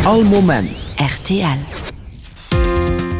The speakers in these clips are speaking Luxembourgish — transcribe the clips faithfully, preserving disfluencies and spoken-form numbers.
All Moment rtl.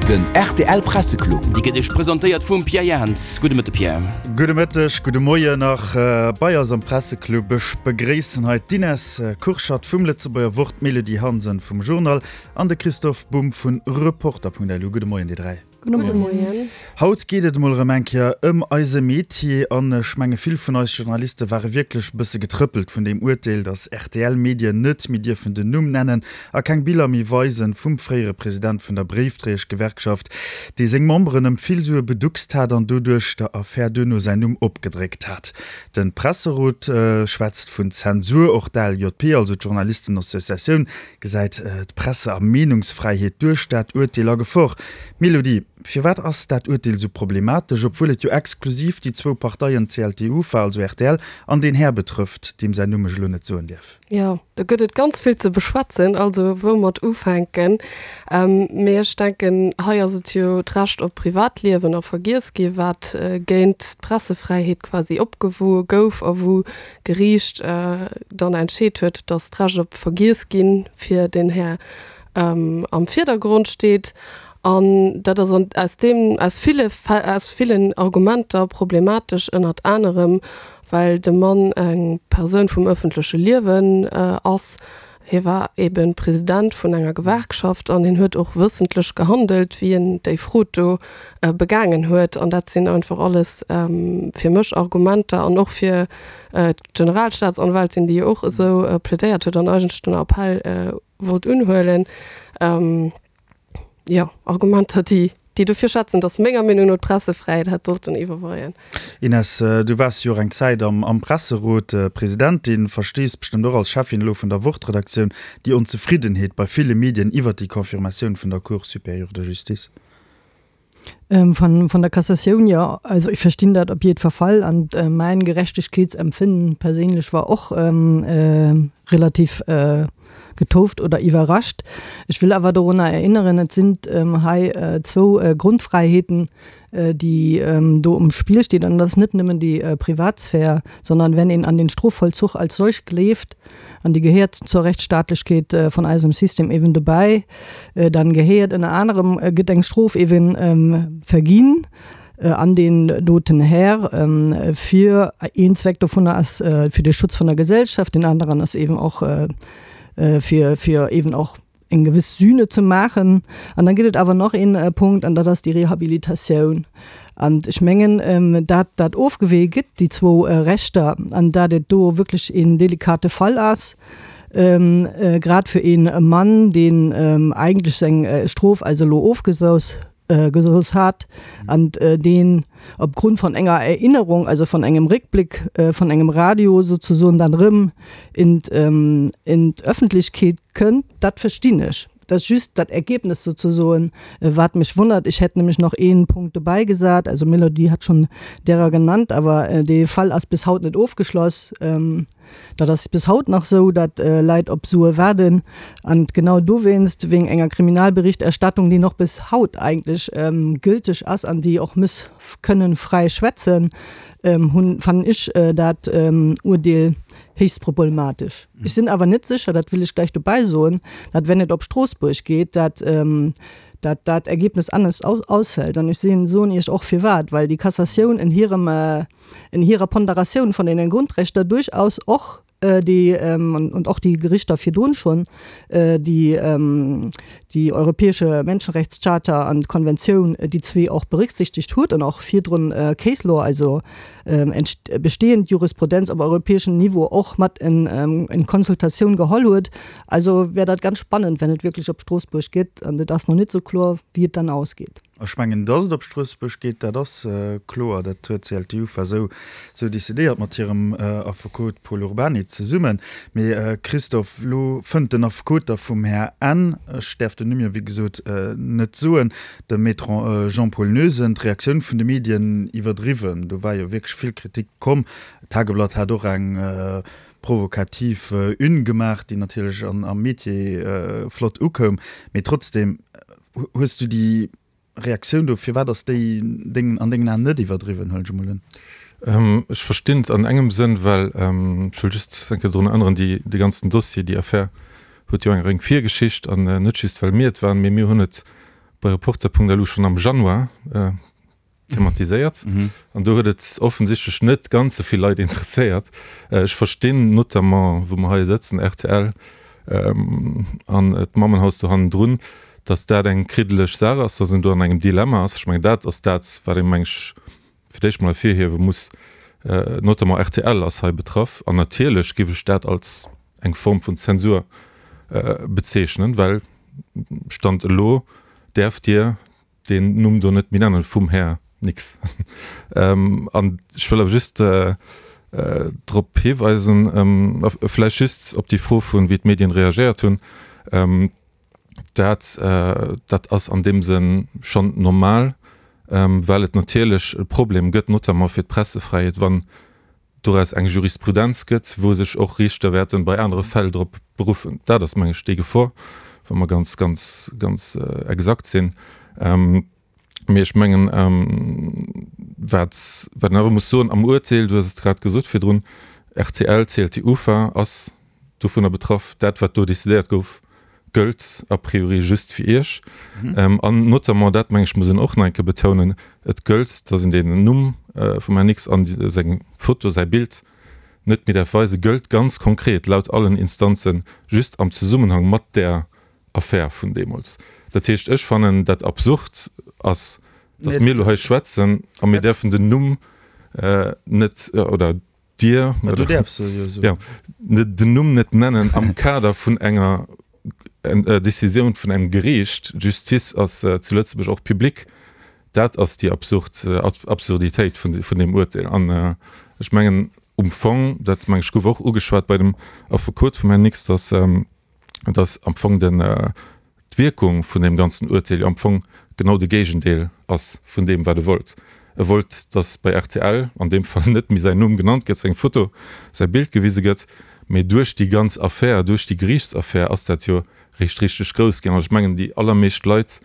Den rtl Presseclub. Déi gëtt Iech presentéiert vum Pierre Jans. Gudde Mëtte Pierre. Gudde Mëtteg, gudde Moien nach bei eis am Presseclub. Ech begréissen hei d'Ines Kurschat vum Lëtzebuerger Wort, d'Mélodie Hansen vum Journal an de Christoph Bumb vun Reporter.lu. Gudde Moien dir dräi. Gudde Moien. Haut geet et emol erëm eng Kéier ëm eise Metier an ech menge vill vun eis Journaliste ware wierklech e bësse getrëppelt vun deem Urteel, datt rtl Medien net méi dierfen den Numm nennen a keng Biller méi weisen vum fréiere President vun der Bréifdréieschgewerkschaft, dee seng Memberen ëm vill Sue beduckst hat an doduerch der Affär duerno säin Numm opgedréckt hat. De Presserot schwätzt vun Zensur, och d'ALJP, also d'Journalistenassociatioun, gesäit d'Presse a Meenungsfräiheet duerch dat Urteel a Gefor. Mélodie, firwat ass dat Urteel sou problematesch, obwuel et jo exklusiv déi zwou Parteien CLTUFA, also rtl, an deen Här betrëfft, deem säin Numm ech elo net soen dierf? Jo, do gëtt et ganz vill ze beschwätzen, also woumat ufänken? Mee ech denken, hei ass et jo d'Recht op Privatliewen a Vergiess gi wat géint d'Pressefräiheet quasi opgewoe gouf a wou d'Geriicht dann entscheet huet, datt d'Recht op Vergiess ginn fir den Här am Virdergrond steet. An dat ass aus deem, aus ville, aus villen Argumenter problematesch, ënnert anerem well de Mann eng Persoun vum ëffentleche Liewen ass. Hie war eebe President vun enger Gewerkschaft an hien huet och wëssentlech gehandelt, wéi en déi Frod do begaangen huet. An dat sinn einfach alles fir mech Argumenter an och fir d'Generalstaatsanwältin, déi jo och esou plädéiert huet an eigentlech den Appell wollt unhuelen. Jo, Argumenter, déi, déi dofir schwätzen, datt menger Meenung no d'Pressefräiheet hätt sollten iwwerweien. Ines, du waars jo och eng Zäit am, am Presserot Presidentin, verstees bestëmmt och als Cheffin elo vun der Wort-Redaktioun déi Onzefriddenheet bei ville Medien iwwert déi Confirmatioun vun der Cour supérieure de justice. Von, von der Cassatioun, jo. Also ech verstinn dat op jiddwer Fall an mäin Gerechtegkeetsempfinden perséinlech war och relativ getouft oder iwwerrascht. Ech wëll awer dorunner erinneren, et sinn hei zwou Grundfreiheeten, déi do um Spill stinn an dat ass net nëmmen déi Privatsphär, sondern wenn een an den Strofvollzuch als solch gleeft, an déi gehéiert zur Rechtsstaatlechkeet vun eisem System eben dobäi, dann gehéiert ënner anerem, gëtt eng Strof eben verginn an deen doten Här fir, een Zweck dovunner ass fir de Schutz vun der Gesellschaft, deen aneren ass eben och fir, fir eben och eng gewëss Sühne ze maachen. An dann gëtt et awer nach een Punkt, an dat ass déi Rehabilitatioun. An ech mengen, dat dat ofgewee gëtt, déi zwou Rechter, an dat et do wierklech een delikate Fall ass, grad fir ee Mann, deen eigentlech seng Strof also elo ofgesouss gesouss hat an deen opgrund von enger Erinnerung, also von engem Réckblick von engem Radio sozesoen dann erëm in in d'Öffentlechkeet kënnt, dat verstinn ech. Dat ass just dat Ergebnis sozesoen, wat mech wonnert. Ech hätt nämlech nach een Punkt dobäi gesat, also Melody hat schonn derer genannt, awer dee Fall ass bis haut net ofgeschloss. Dat ass bis haut nach esou, datt Leit op Sue waarden. An genau dowéinst, wéing enger Kriminalberichterstattung, déi nach bis haut eigentlech gülteg ass an déi och muss kënnen fräi schwätzen, hunn, fannen ech dat Urdeel héchst problematesch. Ech sinn awer net sécher, dat wëll ech gläich dobäi soen, datt wenn et op Stroossbuerg geet, datt dat dat Ergebnis anescht ausfällt. An ech sinn, soen Iech och firwat, well déi Cassatioun en hirem, en hirer Ponderatioun vun deenen Grundrechter duerchaus och déi, und och déi Gerichter virdrun schonn, déi déi Europäesche Menschenrechtscharta an d'Konventioun, déi zwee och berücksichtigt huet an och virdrun Case Law, also bestehend Jurisprudenz op europäeschem Niveau och mat en en Konsultatioun geholl huet. Also wär dat ganz spannend, wenn et wierklech op Stroossbuerg geet, an et ass nach net esou kloer, wéi et dann ausgeet. Ech mengen, dass et op Stroossbuerg geet, dat ass kloer. Dat huet d'CLTUFA esou esou decidéiert mat hirem Affekot Pol Urbany zesummen. Mee Christophe, elo fënnt den Affekot da vum Här N. Ech däerf den Numm jo wéi gesot net soen, dem Maître Jean-Paul Noesen, d'Reaktioun vun de Medien iwwerdriwwen. Do war jo wierklech vill Kritik komm. D'Tageblatt hat och eng provokativ Une gemaach, déi natierlech am Métier flott ukoum. Mee trotzdem, hues du déi Reaktioun do, firwat ass déi deng, an dengen Aen net iwwerdriwwen, huelen ech emol un? Ech verstinn et an engem Sënn, well, ech wëll just eng Kéier drun erënneren, déi, dee ganzen Dossier, déi Affär huet jo eng eng Virgeschicht an net just well mir et waren, mee mir hunn et bei Reporter.lu schonn am Januar thematiséiert an do huet et offensichtlech net ganz esou vill Leit interesséiert. Ech verstinn notamment, wou mer hei sëtzen, rtl an d'Mammenhaus do hannendrun, datt dat eng kriddeleg Saach ass, datt een do an engem Dilemma ass. Ech mengen, dat ass dat, wat ee meng ech fir d'éischt mol ervirhiewe muss. Notamment rtl ass hei betraff an natierlech géif ech dat als eng Form vun Zensur bezeechnen, well Stand elo däerft Dir deen Numm do net méi nennen vum Här Nix. An ech wëll awer just drop hiweisen, vläicht just op déi Fro vun, wéi d'Medien reagéiert hunn, dat dat ass an deem Sënn schonn normal, well et natierlech e Problem gëtt, notamment fir d'Pressefräiheet, wann doraus eng Jurisprudenz gëtt, wou sech och Riichter wäerten bei anere Fäll drop beruffen. Dat ass, meng ech, déi Gefor, wa mer ganz, ganz, ganz exakt sinn. Mee ech mengen, wat, wat een awer muss soen am Uerteel, du hues et grad gesot virdrun, rtl, CLT, UFA ass dovunner betraff. Dat, wat do decidéiert gouf, gëllt a priori just fir Iech. An notamment, dat meng ech muss een och nach eng Kéier betounen, et gëllt, datt een den Numm vum Här Nix an seng Foto, säi Bild net méi däerf weisen, gëllt ganz konkret laut allen Instanzen just am Zesummenhang mat där Affär vun deemools. Dat heescht, ech fannen dat absurd ass, datt mir elo hei schwätzen a mir däerfen den Numm net, oder Dir, jo, den Numm net nennen am Kader vun enger Decisioun vun engem Geriicht. D'Justiz ass zu Lëtzebuerg och public. Dat ass déi absurd Absurditéit vun deem Urteel. An ech mengen um Fong, dat meng ech gouf och ugeschwat bei dem Affekot vum Här Nix, datt datt am Fong den d'Wierkung vun deem ganzen Urteel jo am Fong genau de Géigendeel ass vun deem wat e wollt. E wollt, datt bei rtl an deem Fall net méi säin Numm genannt gëtt, seng Foto, säi Bild gewise gëtt, mee duerch déi ganz Affär, duerch déi Geriichtsaffär ass dat jo réischt richteg grouss ginn. An ech mengen, déi allermeescht Leit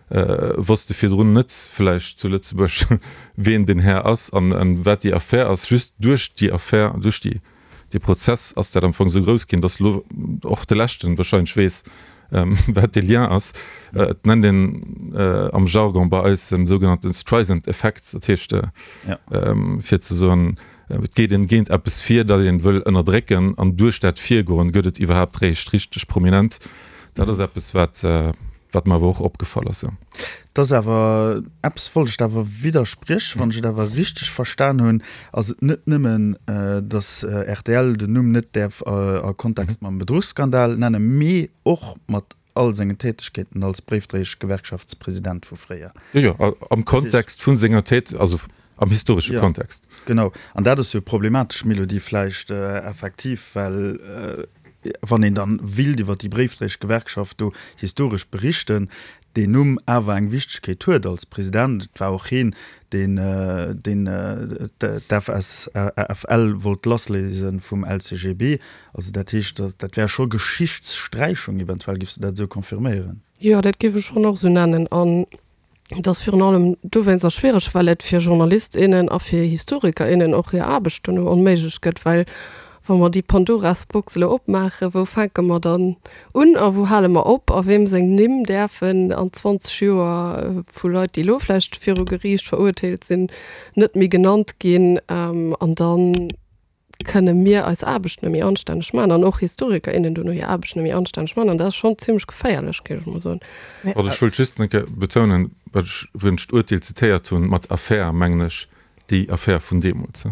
wosste virdrun net vläicht zu Lëtzebuerg, ween deen Här ass an wat déi Affär ass. Just duerch déi Affär, duerch déi dee Prozess ass dat am Fong esou grouss ginn, datt elo och de Leschten wahrscheinlech weess, wat dee Lien ass. Et nennt een am Jargon bei eis den sougenannten Streisand-Effekt, dat heescht, fir ze soen, et geet een géint eppes vir, dat een wëll ënnerdrécken, an duerch dat Virgoen gëtt et iwwerhaapt réischt richteg prominent. Dat ass eppes, wat wat mer awer och opgefall ass. Et ass awer, eppes wollt ech der awer widderspriechen, wann ech et awer richteg verstan hunn, ass et net nëmmen, datt rtl den Numm net däerf a Kontext mam Bedruchsskandal nennen, mee och mat all sengen Tätegkeeten als Bréifdréieschgewerkschaftspresident vu fréier. Jo, jo, am Kontext vu senger Tät-, also am historesche Kontext. Genau, an dat ass jo problematesch, Mélodie, vläicht effektiv, well wann een dann willt iwwer déi Bréifdréieschgewerkschaft do historesch berichten, deen Numm awer eng Wichtegkeet huet als President. Et war och heen, deen deen d'FSFL wollt lassléise vum L C G B. Also dat heescht, dat wär scho Geschichtssträichung eventuell. Giffs de dat esou confirméieren? Jo, dat géif ech schonn och esou nennen. An et ass virun allem dowéinster schwiereg, well et fir Journalist, innen a fir Historiker, innen och hir Aarbecht dono onméiglech gëtt, well wa mer déi Pandoras-Box elo opmaachen, wou fänke mer dann un a wou hale mer op a weem seng Nimm däerfen an zwanzeg Joer vu Leit, déi elo vläicht viru Geriicht verurteelt sinn, net méi genannt ginn? An da kënne mir eis Aarbecht net méi anstänneg maachen an och Historiker, innen dono hir Aarbecht net méi anstänneg maachen. An dat ass schonn zimmlech geféierlech, géif ech mol soen. Also ech wëllt just eng Kéier betounen, wat ech, wou ech d'Urteel zitéiert hunn, mat Affär mengen ech déi Affär vun deemools.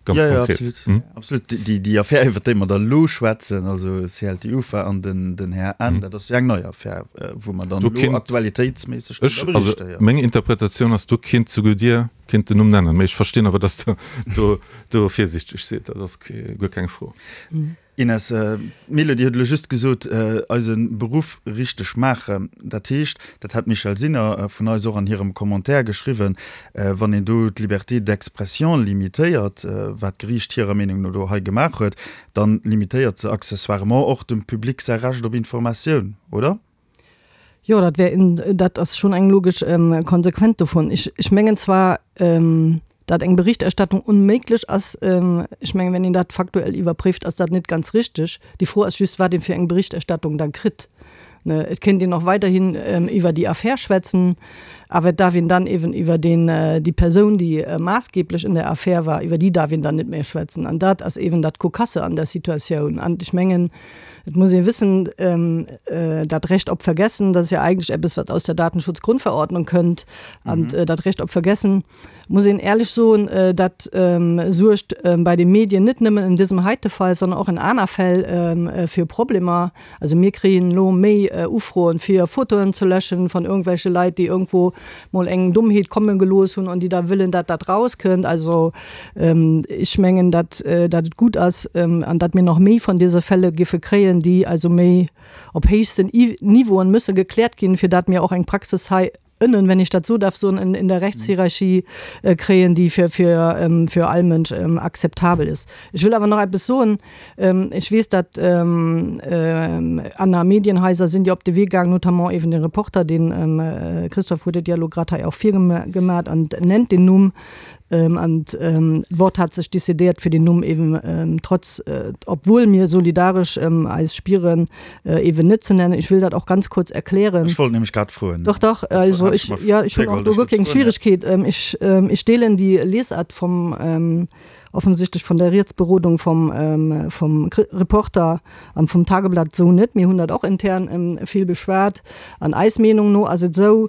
Ganz ja, ja, konkret. Absolut. Hm? Absolut. Déi, déi Affär, iwwer déi mer da lo schwätzen, also C L T Ufa an den, den Här N, mhm. dat ass jo eng nei Affär, äh, wou mer dann do kinnt, aktualitéitsméisseg ech, also, ja. Meng Interpretatioun ass, do kinnt souguer Dir kinnt den Numm nennen. Mee ech verstinn awer, dass der do, do virsiichteg sidd. Dat ass guer keng Fro. Mhm. Ines, d'Mélodie huet elo just gesot, eise Beruff richteg maachen. Dat heescht, dat hat d'Michèle Sinner vun eis och an hirem Commentaire geschriwwen, wann een do d'Liberté d'expression limitéiert, wat d'Geriicht hirer Meenung no do hei gemaach huet, dann limitéiert se accessoirement och dem Public säi Recht op Informatioun, oder? Jo, dat wär, dat ass schonn eng logesch Konsequenz dovun. Ech, ech mengen zwar, Dat eng Berichterstattung unméiglech ass, ech mengen, wenn een dat faktuell iwwerpréift, ass dat net ganz richteg. Déi Fro ass just, wat een fir eng Berichterstattung da kritt. Et kéint een och weiderhin iwwer déi Affär schwätzen, awer et darf een dann eben iwwer den, déi Persoun, déi maassgeblech in der Affär war, iwwer déi darf een dann net méi schwätzen. An dat ass eben dat Cocasse an der Situatioun. An ech mengen, et muss ee wëssen, dat Recht op Vergessen, dat ass jo eigentlech eppes, wat aus der Datenschutzgrundverordnung kënnt. An dat Recht op Vergessen, muss een éierlech soen, dat suergt bei de Medien net nëmmen in dësem heite Fall, sondern och in aner Fäll fir Problemer. Also mir kréien elo méi Ufroen, fir Fotoen ze löschen von irgendwelche Leit, déi irgendwo mol eng Dummheet komme gelooss hunn an déi da wëllen, dat dat rauskënnt. Also ech mengen, dat dat et gutt ass an dat mir nach méi von dëse Fälle giffe kréien, déi also méi op héchsten Niveauen müsse gekläert ginn, fir dat mir och eng Praxis hei ënnen, wenn ich dat so darf soen, in, in der Rechtshierarchie äh, kréien, déi fir, fir, ähm, fir all Mënsch ähm, akzeptabel ist. Ech wëll awer nach eppes soen. Ähm, ech weess, dat ähm, ähm, aner Medienhaiser sinn jo op de Wee gaang, notamment eben de Reporter, den ähm, äh, Christophe huet et jo elo grad hei och virgemaat an nennt den Numm. Ähm, an ähm, Wort hat sech decidéiert fir den Numm eben ähm, trotz äh, obwohl mir solidaresch ähm, eis spieren äh, eben net ze nennen. Ich will dat och ganz kurz erklären. Ech wollt nämlech grad froen. Doch doch, also ich, ja, ich hunn och do wierklech eng Schwieregkeet. Ähm, ich, ähm, ich deelen déi Lesart vom ähm, offensichtlich von der Rechtsberodung vom, ähm, vom Reporter an vom Tageblatt so net. Mir hunn dat och intern ähm, vill beschwat. An eis Meenung no ass et sou,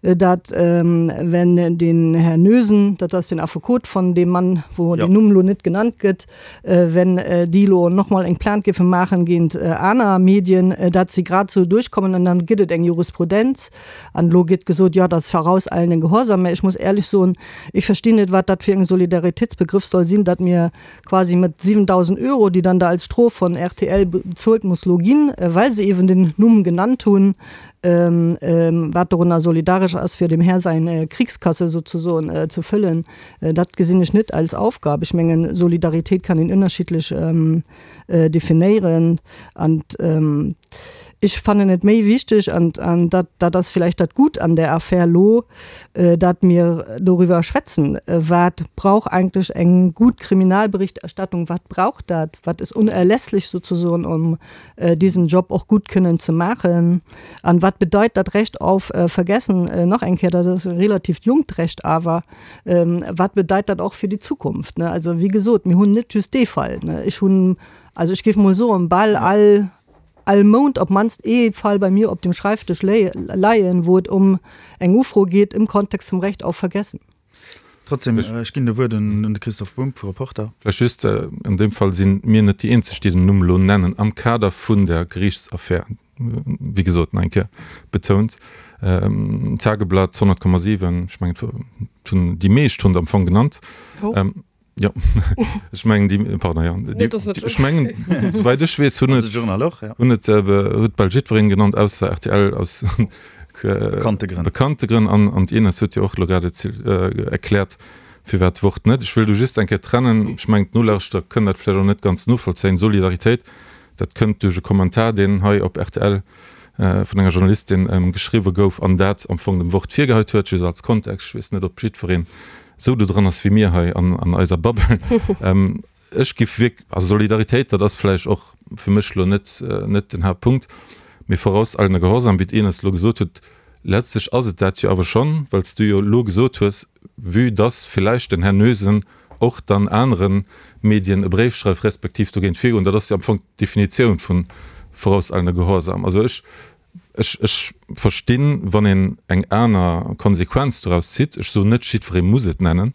äh, dat ähm, wenn den Herr Noesen, dat ass den Affekot von dem Mann, wou ja. den Numm lo net genannt gëtt, äh, wenn äh, déi lo noch mal eng Plainte giffe maachen géint äh, aner Medien, äh, dat si grad sou duerchkommen an dann gëtt et eng Jurisprudenz. An lo gëtt gesot, ja, dat vorauseilenden Gehorsam. Mä ech muss éierlech soen, ech verstinn net, wat dat fir eng Solidaritätsbegriff soll sinn, dat mir quasi mat siwendausend Euro, déi dann da als Strof von R T L bezuelt muss lo ginn, äh, well se eben den Numm genannt hunn, ähm, ähm, wat dorunner solidaresch ass, fir dem Här sein äh, Kriegskasse sozusagen äh, zu füllen, äh, dat gesinn ech net als Aufgab. Ech mengen, Solidaritéit kann een ënnerschiddlech ähm, äh, definéieren an ähm, ech fannen et méi wichteg an, an dat, dat ass vielleicht dat Gutt an der Affär lo, äh, dat mir doriwwer schwätzen. Äh, wat brauch eigentlech eng gutt Kriminalberichterstattung, wat brauch dat, wat ist unerlässlich sozusagen, um äh, diesen Job och gutt kënnen ze maachen, an wat bedeit dat Recht auf äh, Vergessen, äh, nach eng Kéier, dat ass e relativ jonkt Recht, awer ähm, wat bedeit dat och fir déi Zukunft, ne? Also wéi gesot, mir hunn net just dee Fall, ne? Ech hunn, also ech géif mol soen, bal all all Mount op mannst ee Fall bei mir op dem Schreiftisch leien, wou et um eng Ufro geet im Kontext zum Recht auf Vergessen. Trotzdem, ech ginn de Wuert un de Christophe Bumb vu Reporter. Vläicht just, an deem Fall si mir net déi eenzeg, déi den Numm elo nennen am Kader vun der Geriichtsaffär, wéi gesot, nach eng Kéier betount, Tageblatt, honnert Komma siwen, ech mengen, et hunn déi meescht hunn et am Fong genannt. Jo, ech mengen déi, pardon, jo, déi, ech mengen, souwäit ech weess, hunn et, hunn et, huet bal jiddwereen genannt, ausser R T L aus bekannte Grënn. Bekannte Grënn. An, an d'Ines huet jo och elo grad erkläert, firwat d'Wort net. Ech wëll do just eng Kéier trennen, ech mengen, d'Nolauschterer kënnen dat vläicht och net ganz novollzéien, Solidaritéit, dat kënnt duerch e Kommentar, deen hei op R T L vun enger Journalistin geschriwwe gouf an dat am Fong dem Wort virgeheit huet, just als Kontext. Ech weess net, ob jiddwereen esou do dran ass wéi mir hei an an eiser Bubble. Ech giff wierk, also Solidaritéit, dat ass vläicht och fir mech elo net net den Haaptpunkt, mee vorauseilender Gehorsam, wéi d'Ines elo gesot huet, letztlech ass et dat jo awer schonn, well s du jo elo gesot hues, vue dass villäicht den Här Noesen och dann anere Medien e Bréif schreift respektiv dogéint virgoen, dat ass jo am Fong d'Definitioun vu vorauseilender Gehorsam. Also ech Ech, ech verstinn, wann een eng aner Konsequenz doraus zitt. Ech soen net, jiddweree muss et nennen,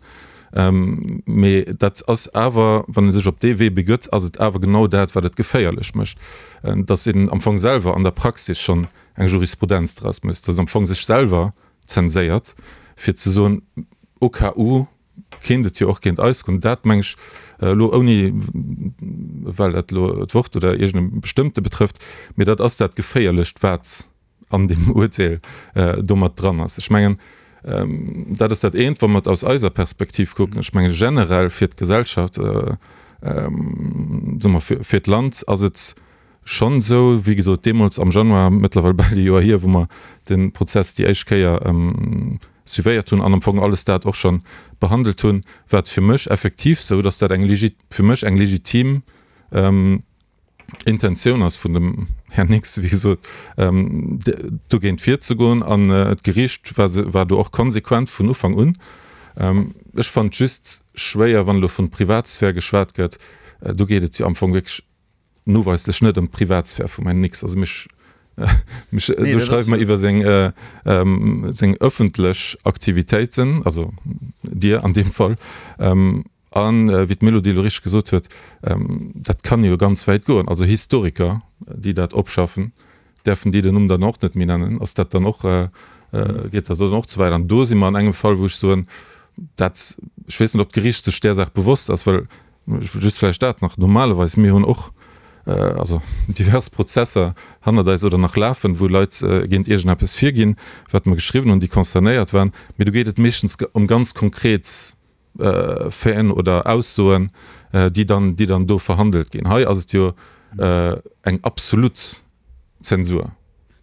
mee dat ass awer, wann ee sech op dee Wee begëtt, ass et awer genau dat, wat et geféierlech mécht, dass een am Fong selwer an der Praxis schonn eng Jurisprudenz draus mécht, dass een am Fong sech selwer zenséiert, fir ze soen, au cas où kéint et jo och géint eis goen. Dat meng ech elo, ouni well dat elo d'Wort oder iergend e bestëmmte betrëfft, mee dat ass dat Geféierlecht, wat an deem Urteel do mat dran ass. Ech mengen, dat ass dat eent, wa mer et aus eiser Perspektiv kucken. Ech mengen, generell fir d'Gesellschaft, soe mer, fir d'Land ass et schonn esou, wéi gesot, deemools am Januar, mëttlerweil bal e Joer hier, wou mer de Prozess déi éischt Kéier suivéiert hunn an am Fong alles dat och schonn behandelt hunn, wat fir mech effektiv sou, datt dat eng legi fir mech eng legitim Intentioun ass vun dem Här Nix, wéi gesot, dogéint virzegoen. An d'Geriicht war war do och konsequent vun Ufank un. Ech fannen et just schwéier, wann elo vun Privatsphär geschwat gëtt. Do geet et jo am Fong wierklech noweislech net ëm d'Privatsphär vum Här Nix. Also mech mech do schreiwe mer iwwer seng seng ëffentlech Aktivitéiten, also Dir an deem Fall. An wéi d'Mélodie elo richteg gesot huet, dat kann jo ganz wäit goen. Also Historiker, déi dat opschaffen, däerfen déi den Numm dann och net méi nennen? Ass dat dann och, geet dat dann och ze wäit? An do si mer an engem Fall, wou ech soen, dat, ech weess net, ob d'Geriicht sech där Saach bewosst ass, well, just vläicht dat nach, normalerweis, mir hunn och also divers Prozesser hannert eis oder nach lafen, wou Leit géint iergendeppes virginn, wat mer geschriwwen hunn, déi concernéiert waren, mee do geet et meeschtens ëm ganz konkret Faiten oder Aussoen, déi dann, déi dann do verhandelt ginn. Hei ass et jo eng absolut Zensur.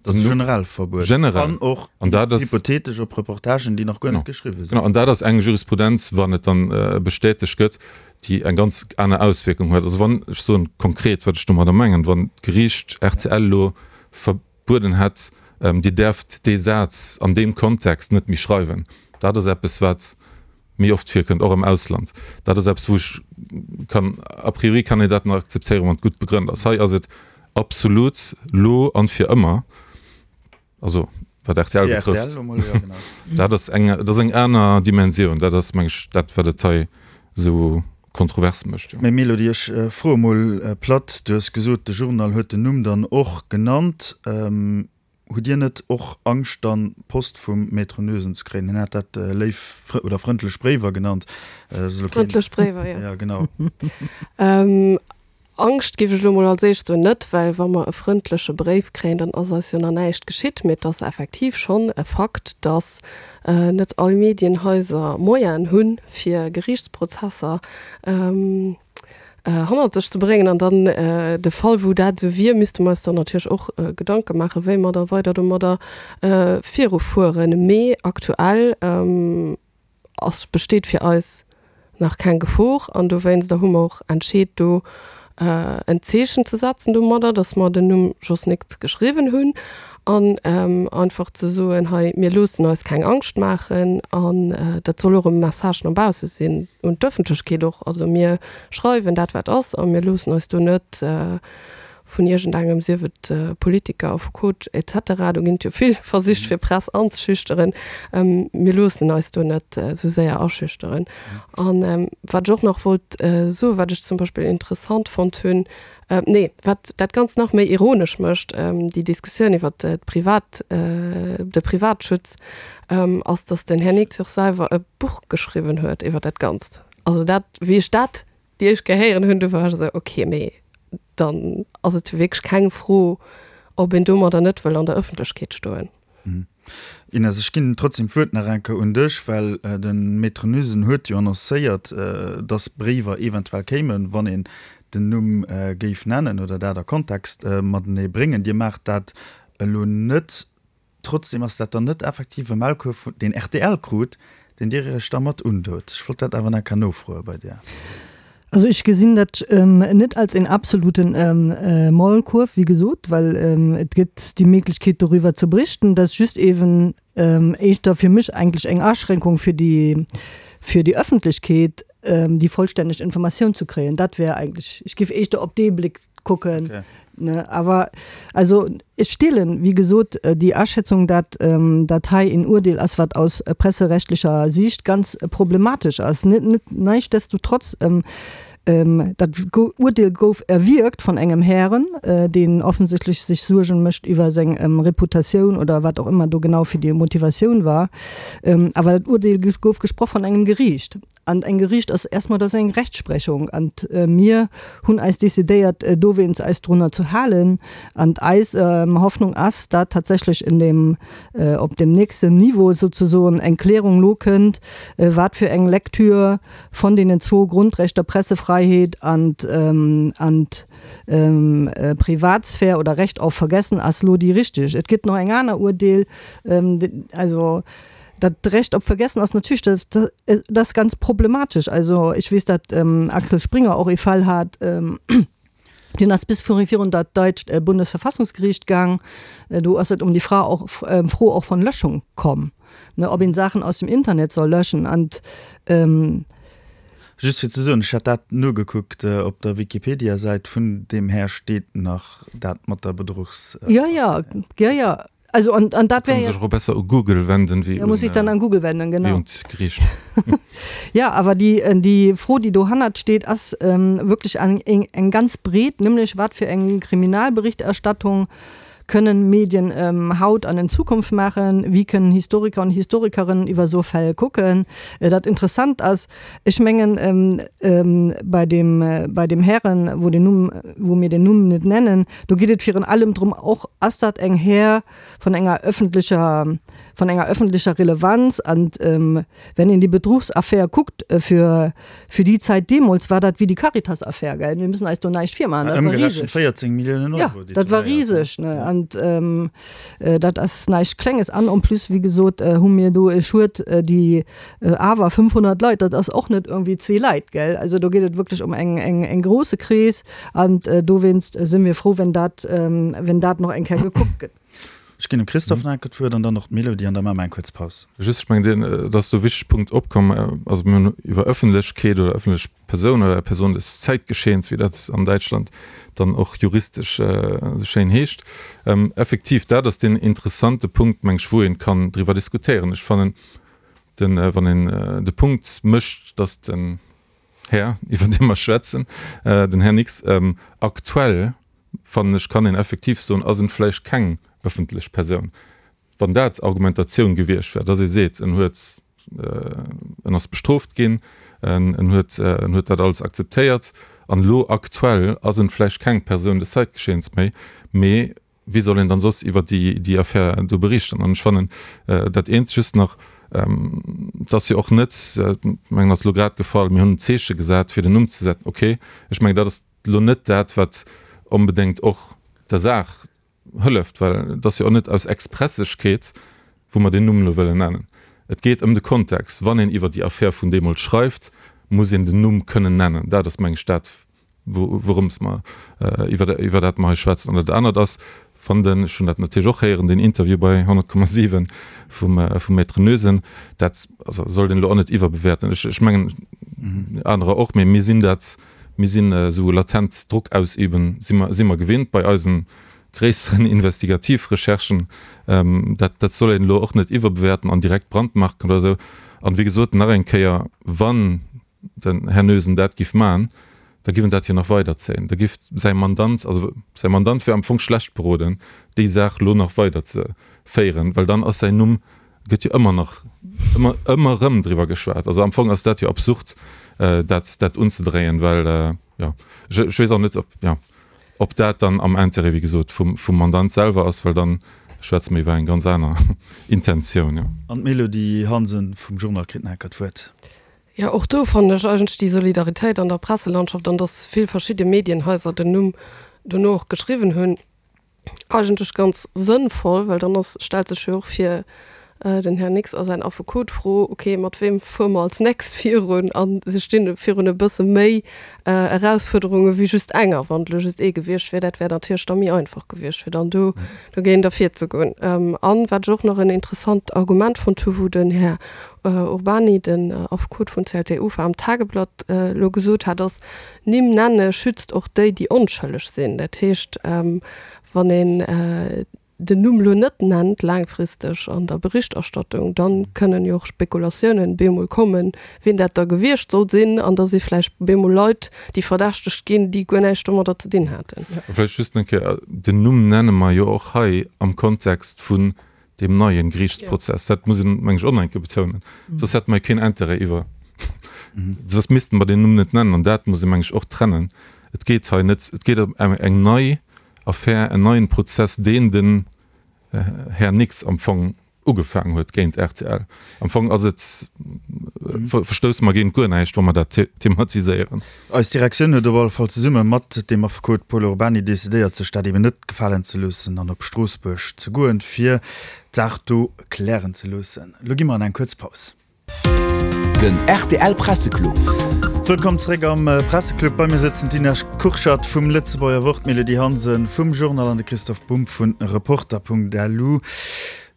Dat ass generell verbueden. Generell. An och An dat ass, hypothetesch op Reportagen, déi nach guer net genau, geschriwwe sinn. genau, an dat ass eng Jurisprudenz, wann et dann bestätegt gëtt, déi eng ganz aner Auswierkung huet. Also wann, ech soen konkret, wat ech domadder mengen, wann d'Geriicht rtl elo verbueden hätt, Dir däerft dee Saz an deem Kontext net méi schreiwen, dat ass eppes, wat méi oft virkënnt, och am Ausland. Dat ass eppes, wou ech kann, a priori kann een dat nach akzeptéieren, wann et gutt begrënnt ass. Hei ass et absolut lo an fir ëmmer, also wat rtl betrëfft. Dat ass eng, dat ass eng aner Dimensioun. Dat ass, meng ech, dat, wat et hei esou kontrovers mécht, jo. Mä Mélodie, ech froe mol platt, du hues gesot, de Journal huet den Numm dann och genannt. Hutt Dir net och Angscht dann Post vum Maître Noesen ze kréien? Hien hat dat léif oder frëndlech Bréiwer genannt. Frëndlech Bréiwer, jo. Ja, genau. Angscht géif ech elo mol als éischt soen net, well wa mer e frëndleche Bréif kréien, dann ass eis jo nach näischt geschitt. Mee et ass effektiv schonn e Fakt, datt net all Medienhaiser Moyenen hunn, fir Geriichtsprozesser hannert sech ze bréngen. An dann de Fall, wou dat esou wier, misste mer eis dann natierlech och Gedanke maachen, wéi mer da weider domadder virufueren. Mee aktuell ass, besteet fir eis nach keng Gefor an dowéinster hu mer och entscheet, do en Zeechen ze setzen domadder, datt mer den Numm Jos Nix geschriwwen hunn an einfach ze soen, hei, mir loossen eis keng Angscht maachen an dat soll och e Message no bausse sinn, un d'Ëffentlechkeet och. Also mir schreiwen dat, wat ass a mir loossen eis do net vun iergendengem, sief et Politiker, Affekot et cetera, do ginn et jo vill Versich fir Press anzeschüchteren, mir loossen eis do net esou séier aschüchteren. An wat ech och nach wollt soen, wat ech zum Beispill interessant fonnt hunn, nee, wat dat Ganzt nach méi ironesch mécht, déi Diskussioun iwwert d'Privat, de Privatschutz, ass, datt den Här Nix och selwer e Buch geschriwwen huet iwwer dat Ganzt. Also dat, wéi ech dat déi éischt Kéier héieren hunn, du war ech esou, okay, mee dann ass et jo wierklech keng Fro, ob een domadder net wëll an der Ëffentlechkeet stoen. Ines, ech ginn trotzdem d'Wuert nach eng Kéier un dech, well de Maître Noesen huet jo annoncéiert, dass Bréiwer eventuell kéimen, wann een den Numm géif nennen oder dat a Kontext matenee bréngen. Dir maacht dat elo net. Trotzdem ass dat dann net effektiv e Maulkuerf, deen rtl krut, deen Dir Iech da mat undot. Ech wollt dat awer nach eng Kéier nofroe bei dir. Also ech gesinn dat net als een absoluten Maulkuerf, wéi gesot, well et gëtt déi Méiglechkeet doriwwer ze berichten. Dat ass just eeben éischter fir mech eigentlech eng Aschränkung fir déi fir déi Öffentlechkeet, déi vollstänneg Informatioun ze kréien. Dat wär eigentlech, ech géif éischter op dee Bléck kucken. Okay. Ne, awer also ech deelen, wéi gesot, déi Aschätzung, dat dat hei en Urdeel ass, wat aus presserechtlecher Siicht ganz problematesch ass. Net, net, nichtsdestotrotz, dat Urdeel gouf erwierkt von engem Hären, deen offensichtlech sech Suergen mécht iwwer seng Reputatioun oder wat och ëmmer do genau fir déi Motivatioun war. Awer dat Urdeel gouf gesproch von engem Geriicht. An eng Geriicht ass erstmal, dat ass eng Rechtsprechung. An mir hunn eis decidéiert, dowéinst eis drunner ze halen. An eis Hoffnung ass, dat tatsächlech in dem, op dem nächsten Niveau sozusoen eng Klärung lo kënnt, wat fir eng Lektür von deenen zwou Grundrechter Pressefreiheet an an Privatsphär oder Recht auf Vergessen ass lo déi richteg. Et gëtt nach eng aner Urdeel, also Dat Recht op Vergessen ass natierlech dat, dat, dat ass ganz problematesch. Also ech weess, datt Axel Springer och ee Fall hat, deen ass bis virun dat däitscht Bundesverfassungsgeriicht gaang. Do ass et ëm déi Fra och, Fro och von Löschung komm, ne, ob een Saachen aus dem Internet soll löschen. An Just fir ze soen, ech hat dat nogekuckt, op der Wikipedia-Säit vun deem Här steet nach dat mat der Bedruchs. Jo, jo, jo, jo. Also an, an dat wär ja. Sech och besser u Google wenden wéi un, muss ich dann an Google wenden, genau. Wéi un d'Geriicht. Ja, awer déi, déi Fro, déi dohannert steet, ass ähm, wierklech eng, eng, eng ganz breet, nämlech wat fir eng Kriminalberichterstattung können Medien ähm, haut an in Zukunft machen, wie können Historiker und Historikerinnen iwwer so Fäll kucken. Äh, dat interessant ass, ech mengen ähm, ähm, bei dem, äh, bei dem Herren, wou den Numm, wou mir den Numm net nennen, do geet et virun allem drëm, och ass dat eng Här vun enger öffentlecher, vun enger öffentlecher Relevanz an ähm, wenn een déi Betruchsaffär kuckt, äh, für, für die Zeit deemools war dat wéi die Caritas-Affär, gell? Mir müssen eis do näischt virmaachen, dat war Ëmgerechent riseg. véierzéng Milliounen Ja, Euro, déi dat war toléiert riseg, ne? An ähm, äh, dat ass näischt Klenges. An en plus, wéi gesot, äh, hu mir do e Schued, äh, déi äh, awer fënnfhonnert Leit, dat ass och net irgendwie zwee Leit, gell? Also do geet et wierklech ëm eng, eng, eng grouse Krees an äh, dowéinst si mir frou, wenn dat, ähm, wenn dat nach eng Kéier gekuckt gëtt. Ech ginn dem Christophe nach eng Kéier d'Wuert an dann och d'Mélodie an da maache mer eng kuerz Paus. Just, ech mengen, deen, et ass do e wichtege Punkt opkomm, also mir hunn iwwer Ëffentlechkeet oder ëffentlech Persoun oder Person des Zeitgeschehens, wéi dat an Däitschland dann och juristesch esou schéin heescht. Effektiv, dat ass deen interessante Punkt, meng ech, wou ee kann driwwer diskutéieren. Ech fannen, den, wann een de Punkt mécht, datt den Här, iwwer dee mer schwätzen, den Här Nix, aktuell, fannen ech, kann een effektiv soen, ass en vläicht keng ëffentlech Persoun. Wann dat d'Argumentatioun gewiescht wär, datt ee seet, en huet, en ass bestrooft ginn, en huet, en huet dat alles akzeptéiert an elo aktuell ass en vläicht keng Persoun des Zeitgeschehens méi, mee wéi soll een dann soss iwwer déi, déi Affär do berichten? An ech fannen dat eent just nach, et ass jo och net, mengen ass elo grad gefall, mir hunn en Zeeche gesat fir den Numm ze setzen, okay, ech mengen dat ass elo net dat wat onbedéngt och der Saach hëlleft, well et ass jo och net aus Expressegkeet wou mer deen Numm elo wëllen nennen. Et geet ëm de Kontext. Wann een iwwer déi Affär vun deemools schreift, muss een den Numm kënnen nennen. Dat ass meng ech dat wourëms mer iwwer iwwer dat mer hei schwätzen. An dat anert ass, wann den, ech hunn dat natierlech och héieren, deen Interview bei honnert Komma siwen vum vum Maître Noesen, dat also sollt een elo och net iwwerbewäerten. Ech ech mengen anerer och, mee mir sinn dat, mir sinn esou latent Drock ausüben, si mer si mer gewinnt bei eisen gréisseren Investigativrecherchen. Dat dat soll een elo och net iwwerbewäerten an direkt brandmarken oder esou. An wéi gesot, nach eng Kéier, wann den Här Noesen dat giff maachen, da giff en dat jo nach weiderzéien. Da giff säi Mandant, also säi Mandant wär am Fong schlecht beroden, déi Saach elo nach weiderzeféieren, well dann ass säin Numm, gëtt jo ëmmer nach, ëmmer, ëmmer erëm driwwer geschwat. Also am Fong ass dat jo absurd, dat, dat unzedréien, well, jo, ech, ech weess och net, ob, jo, ob dat dann am Intérêt, wéi gesot, vum, vum Mandant selwer ass, well dann schwätze mer iwwer eng ganz aner Intentioun, jo. An d'Mélodie Hansen vum Journal kritt nach eng Kéier d'Wuert. Jo, och do fannen ech eigentlech déi Solidaritéit an der Presselandschaft an dass vill verschidde Medienhaiser den Numm dono och geschriwwen hunn, eigentlech ganz sënnvoll, well dann ass, stellt sech jo och fir den Här Nix a säin Affekot d'Fro, okay, mat weem fuere mer als nächst virun? A si stinn virun e bësse méi Erausfuerderunge wéi just enger. Wann et elo just ee gewiescht wier, dat wär natierlech da méi einfach gewiescht, fir dann do dogéint ervirzegoen. An wat ech och nach en interessant Argument fonnt hu wou den Här Urbany, den Affekot vun C L T U F A am Tageblatt elo gesot hat, ass, Nimm nenne schützt och déi, déi onschëlleg sinn. Dat heescht, wann een den Numm elo net nennt laangfristeg an der Berichterstattung, da kënnen jo och Spekulatiounen bemol kommen, wien dat da gewiescht soll sinn, an da si vläicht bemol Leit, déi verdächtegt ginn, déi guer näischt domadder ze dinn haten. Vläicht just eng Kéier, Den Numm nenne mer jo och hei am Kontext vun deem neien Geriichtsprozess. Dat muss een, meng ech, och nach eng Kéier betounen. Soss hätte mer jo keen Intérêt iwwer, soss misste mer deen Numm net nennen. An dat muss ee, meng ech, och trennen. Et geet hei net, et geet ëm eng nei Affär, en neien Prozess, deen den Här Nix am Fong ugefaangen huet géint R T L. Am Fong ass et verstousse mer géint guer näischt, wa mer dat thematiséieren. Eis Direktioun huet op alle Fall zesumme mat dem Affekot Paul Urbany decidéiert, sech dat eben net gefalen ze loossen an op Stroossbuerg ze goen, fir d'Saach do klären ze loossen. Lo gi mer an eng kuerz Paus. Den rtl Presseclub. Wëllkomm zeréck am Presseclub. Bei mir sëtzen d'Inès Kurschat vum Lëtzebuerger Wort, d'Mélodie Hansen vum Journal an de Christoph Bumb vu Reporter.lu.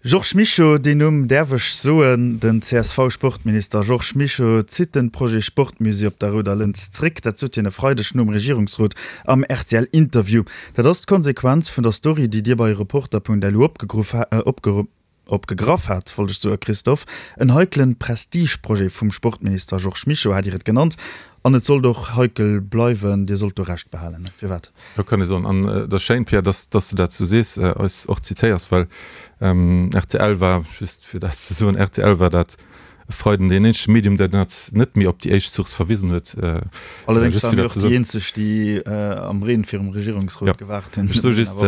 Georges Mischo, deen Numm däerf ech soen, den C S V-Sportminister Georges Mischo zitt den Projet Sportmusée op der Rouder Lëns zréck. Dat sot hien e Freideg nom Regierungsrot am R T L-Interview. Dat ass d'Konsequenz vun der Story, déi Dir bei Reporter.lu opgegraff hat, wollt ech soen, Christophe. En heiklen Prestigeprojet vum Sportminister Georges Mischo hat Dir et genannt. An et sollt och heikel bleiwen, Dir sollt do Recht behalen. Firwat? Jo, kann ee soen. An et ass schéin, Pierre, dass dass de dat sou sees, eis och zitéiers, well R T L war, just fir dat ze soen, R T L war dat e Freiden deen eenzege Medium, dat dat net méi op déi éischt Source verwisen huet. Allerdéngs waren mir och déi eenzeg, déi am Reen virum Regierungsrot gewaart hunn. Ech soe just,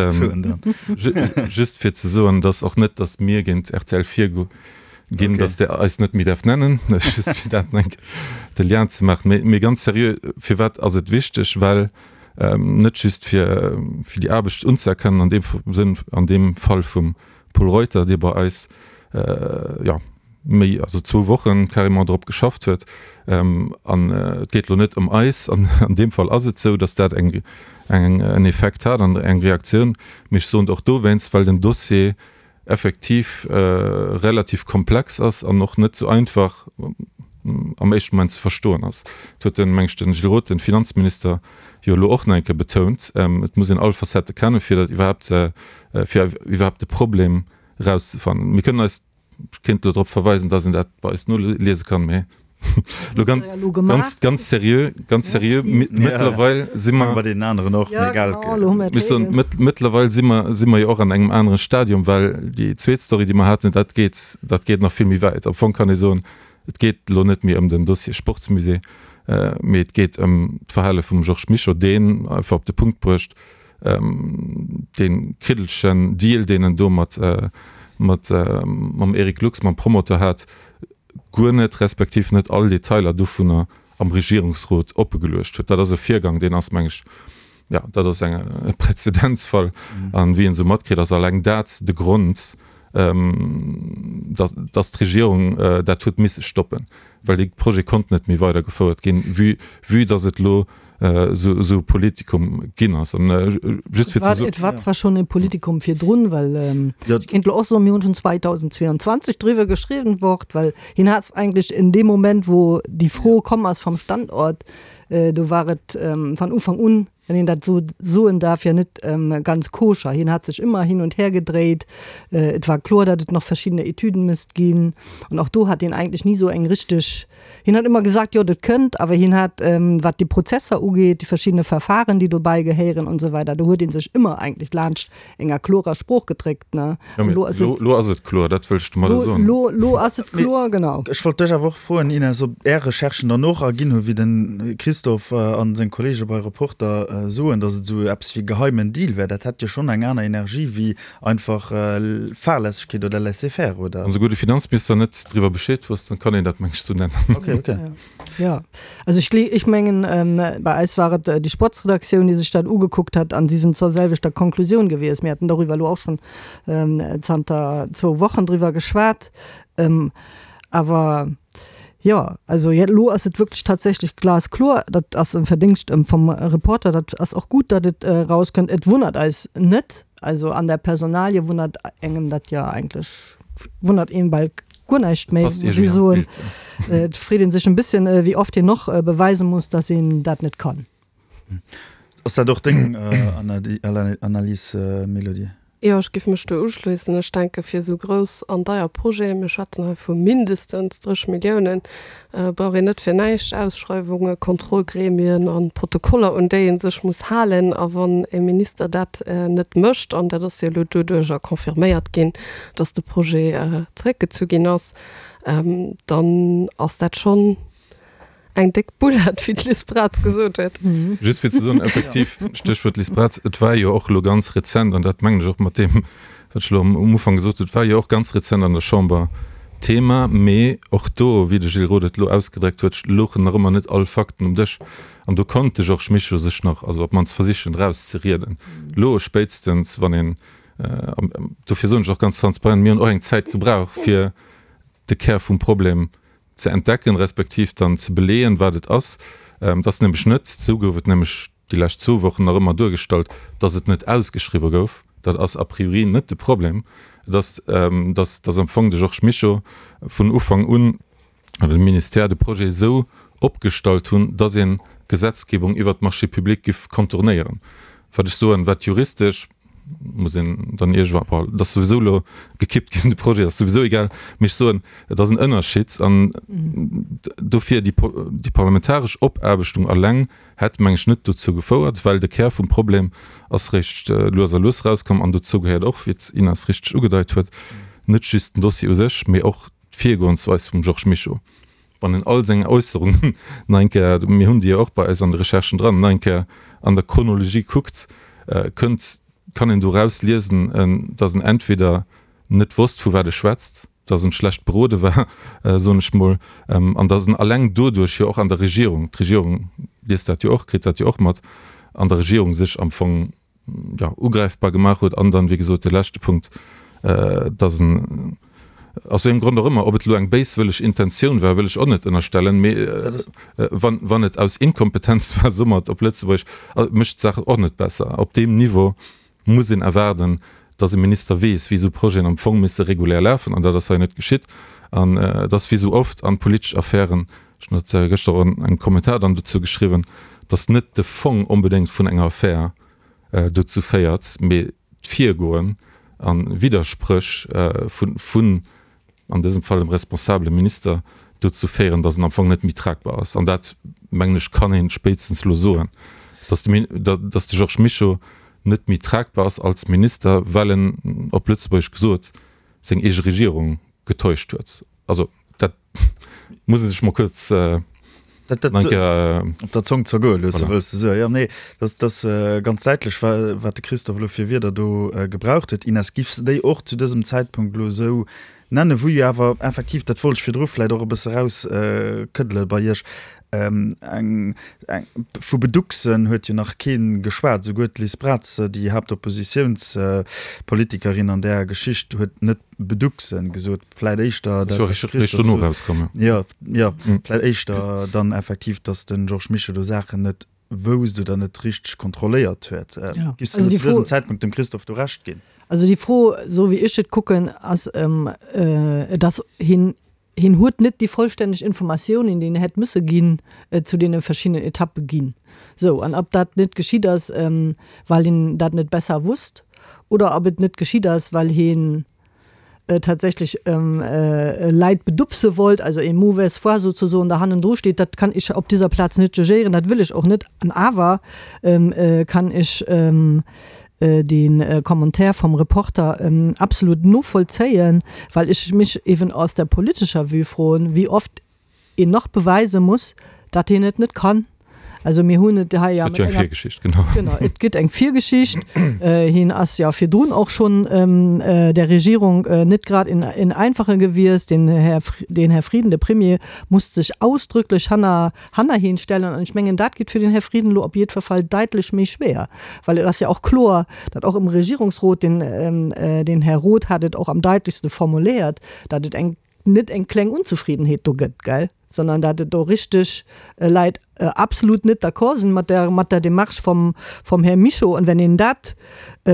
just fir ze soen, dass och net, dass mir géint R T L virgo ginn, dass Der eis net méi däerft nennen, just fir dat eng de Lien ze maachen. Mee, mee ganz seriö, firwat ass et wichteg? Well net just fir, fir déi Aarbecht unzëerkennen, an deem Sënn, an deem Fall vum Pol Reuter, dee bei eis, jo, méi, also zwou Wochen carrément drop geschafft huet, an et geet elo net ëm eis, an an deem Fall ass et esou, dass dat eng, eng, en Effekt hat an eng Reaktioun, mee ech soen et och dowéinst, well den Dossier effektiv relativ komplex ass an och net sou einfach am éischte Moment ze verstoen ass. Dat huet den, meng ech, den Gilles Roth, den Finanzminister, jo elo och nach eng Kéier betount. Et muss een all Facettë kennen, fir dat iwwerhaapt, fir iwwerhaapt de Problem erauszefannen. Mir kënnen eis, ech kéint elo drop verweisen, dass een dat bei eis noliese kann, mee elo ganz, ganz, ganz seriö, ganz seriö, mëttlerweil si mer, Bei deenen aneren och, mee egal. Ech soen, mëttlerweil si mer, si mer jo och an engem anere Stadium, well déi zweet Story, déi mer haten, dat geet, dat geet nach vill méi wäit. Am Fong kann ee soen, et geet elo net méi ëm den Dossier Sportsmusée, mee et geet ëm d'Verhale vum Georges Mischo, deen, einfach op de Punkt bruecht, dee kriddelegen Deal, deen en do mat, mat, mam Eric Lux, mam Promoteur hat, guer net, respektiv net all Detailer dovunner am Regierungsrot oppegeluecht huet. Dat ass e Virgang, deen ass, meng ech, jo, dat ass eng, e Präzedenzfall. An wéi een esou matkritt, ass alleng dat de Grond, dass, dass d'Regierung dat huet misse stoppen, well dee Projet konnt net méi weidergefouert ginn, vue, vue dass et elo esou, esou e Politikum ginn ass. An just fir ze soen. Et war zwar schonn e Politikum virdrun, well ech kéint elo och soen, mir hunn schonn zweedausendzweeanzwanzeg driwwer geschriwwen, Wort, well hien hat eigentlech in deem Moment, wou déi Fro komm ass vam Standort, do war et van Ufank un, wenn een dat esou soen darf, ja net ganz koscher. Hien hat sech ëmmer hin und her gedréit. Et war kloer, datt et nach verschiddene Etüden misst ginn. An och do hat hien eigentlech ni esou eng richteg, hien hat ëmmer gesagt, jo, dat kënnt, awer hien hat, wat déi Prozesser ugeet, déi verschiddene Verfahren, déi dobäi gehéieren und so weiter, do huet hie sech ëmmer eigentlech laanscht enger klorer Sprooch gedréckt, ne. Jo, mee elo, elo ass et kloer, dat wëll ech domadder soen. Elo, elo ass et kloer, genau. Ech wollt dech awer och froen, Ines, ob Är Recherchen dann och erginn hunn, wéi de Christophe a seng Kollege bei Reporter soen, datt et esou eppes wéi geheimen Deal wär. Dat hätt jo schonn eng aner Energie wéi einfach Fahrlässegkeet oder Laisser-faire, oder? Wann souguer de Finanzminister net driwwer Bescheed wosst, dann kann een dat, meng ech, sou nennen. Okay, okay. Jo, also ech ech mengen, bei eis war et déi Sportsredaktioun, déi sech dat ugekuckt hat, an si sinn zur selwechter Konklusioun gewiescht. Mir haten doriwwer elo och schonn zanter zwou Wochen driwwer geschwat. Awer jo, also elo ass et wierklech tatsächlech glaskloer. Dat ass e Verdingscht vum Reporter. Dat ass och gutt, datt et erauskënnt. Et wonnert eis net. Also an der Personalie wonnert engem dat jo eigentlech, wonnert een bal guer näischt méi, Passt muss ech iergendwéi an soen. d'Bild. Et freet ee sech en bësschen, wéi oft een och beweise muss, datt een dat net kann. Ass dat och deng Analys, Mélodie? Jo, ech géif mech do uschléissen. Ech denke fir esou grouss an deier Projeten, mir schwätzen hei vu mindestens dréch Milliounen, brauch een net fir näischt Ausschreiwungen, Kontrollgremien a Protokoller, un déi ee sech muss halen. A wann e Minister dat net mécht, an dat ass jo elo doduerjer confirméiert ginn, dass de Projet zréckgezu ginn ass, dann ass dat schonn eng déck Boulette, wéi d'Liz Braz gesot huet. Just fir ze soen, effektiv, Stéchwuert Liz Braz, et war jo och elo ganz rezent, an dat mengen ech och mat deem, wat ech elo am Ufank gesot hunn, et war jo och ganz rezent an der Chamber Thema, mee och do, wéi de Gilles Roth et elo ausgedréckt huet, louchen nach ëmmer net all Fakten um Dësch. An do konnt de Georges Mischo sech nach, also op d'mannst versichen, erauszerieden. Elo spéitstens, wann een, dofir soen ech och ganz transparent, mir hunn och eng Zäit gebraucht, fir de Kär vum Problem ze entdecken, respektiv dann ze beleeën, wat et ass. Et ass nämlech net, esou gouf et nämlech déi lescht zwou Wochen nach ëmmer duergestallt, dass et net ausgeschriwwe gouf. Dat ass a priori net de Problem. Et ass, dass, dass am Fong de Georges Mischo vun Ufank un, oder de Ministère de Projet esou opgestallt hunn, dass een d'Gesetzgebung iwwert d'Marchés publics giff contournéieren. Wat ech soen, wat juristesch, muss een dann iergendwann, bon, et ass souwisou elo gekippt ginn, de Projet, ass souwisou egal, mee ech soen, et ass en Ënnerschied an dofir déi, déi parlamentaresch Opaarbechtung alleng hätt, meng ech, net dozou gefouert, well de Kär vum Problem ass réischt lues a lues erauskomm an dozou gehéiert och, wéi d'Ines richteg ugedeit huet, net just den Dossier u sech, mee och d'Virgoensweis vum Georges Mischo. Wann een all seng Äusserungen nach eng Kéier, mir hunn déi jo och bei eis an de Recherchen dran, nach eng Kéier an der Chronologie kuckt, kënnt, kann een doraus liesen, dass en entweder net wosst, vu wat e schwätzt, dass en schlecht berode war, soen ech mol, an dass en alleng doduerch jo och an der Regierung, d'Regierung liest dat jo och, kritt dat jo och mat, an der Regierung sech am Fong, jo, ugräifbar gemaach huet. An dann, wéi gesot, de leschte Punkt, dass en, aus wéi engem Grond och ëmmer, ob et elo eng béiswëlleg Intentioun war, wëll ech och net ënnerstellen, mee wann, wann et aus Inkompetenz war, soe mer et op Lëtzebuergesch, mécht d'Saach och net besser. Op deem Niveau muss een erwaarden, dass e Minister weess, wéi esou Projeten am Fong misse regulär lafen, an dat ass hei net geschitt. An et ass wéi esou oft an politesch Affären, ech hunn dat gëschter och an engem Kommentar dann dozou geschriwwen, dass net de Fong onbedéngt vun enger Affär dozou féiert, mee d'Virgoen a Widderspréch vun, an dësem Fall dem responsabele Minister, dozou féieren, dass en am Fong net méi tragbar ass. An dat, mengen ech, kann ee spéitstens elo soen, dass de, dass de Georges Mischo net méi tragbar ass als Minister, well en, op Lëtzebuergesch gesot, seng eege Regierung getäuscht huet. Also dat muss ee sech mol kuerz eng Kéier op der Zong zergoe loossen, wëlls de soen. Jo, nee, dat ass ganz däitlech, wat de Christophe elo fir Wierder do gebraucht huet. Ines, giffs de déi och zu dësem Zäitpunkt elo esou nennen, wou jo awer effektiv, dat wollt ech virdru vläicht och e bësse erauskëddele bei Iech, eng, eng, vu Beduxen huet jo nach kee geschwat, souguer d'Liz Braz, déi Haaptoppositiounspolitikerin an där Geschicht, huet net Beduxen gesot, vläit éischter dat, wat de Christophe sot, jo, jo, vläit éischter dann effektiv, datt de Georges Mischo do Saachen net wousst oder net richteg kontrolléiert huet. Giffs du zu dësem Zäitpunkt dem Christophe do Recht ginn? Also déi Fro, esou wéi ech et kucken, ass, et ass hien, hien huet net déi vollstänneg Informatiounen, déi en hätt musse ginn, zu deene verschiddenen Etappe ginn. Sou, an ob dat net geschitt ass, well hien dat net besser wusst, oder ob et net geschitt ass, well hien tatsächlech Leit bedupse wollt, also en mauvaise foi sozusoen da hannendru steet, dat kann ech op dieser Plaz net jugéieren, dat wëll ech och net. An awer kann ech dee Commentaire vom Reporter absolut novollzéien, well ech mech eben aus der politescher Vue froen, wéi oft een nach beweise muss, datt een et net kann. Also mir hunn et hei ja Et gëtt jo eng Virgeschicht, genau. Genau, et gëtt eng Virgeschicht. Hien ass ja virdrun och schonn der Regierung net grad en en einfache gewiesst. Den Här, den Här Frieden, de Premier, musst sech ausdrücklech hanner hanner hien stellen. An ech mengen, dat geet fir den Här Frieden elo op jiddwer Fall daitlech méi schwéier, well et ass ja och kloer, datt och im Regierungsrot, den den Här Roth hat et och am daitlechste formuléiert, datt et eng net eng kleng Unzefriedenheet do gëtt, gell, sondern datt et do richteg Leit absolut net d'accord sinn mat der, mat der Démarche vom, vom Här Mischo. An wenn een dat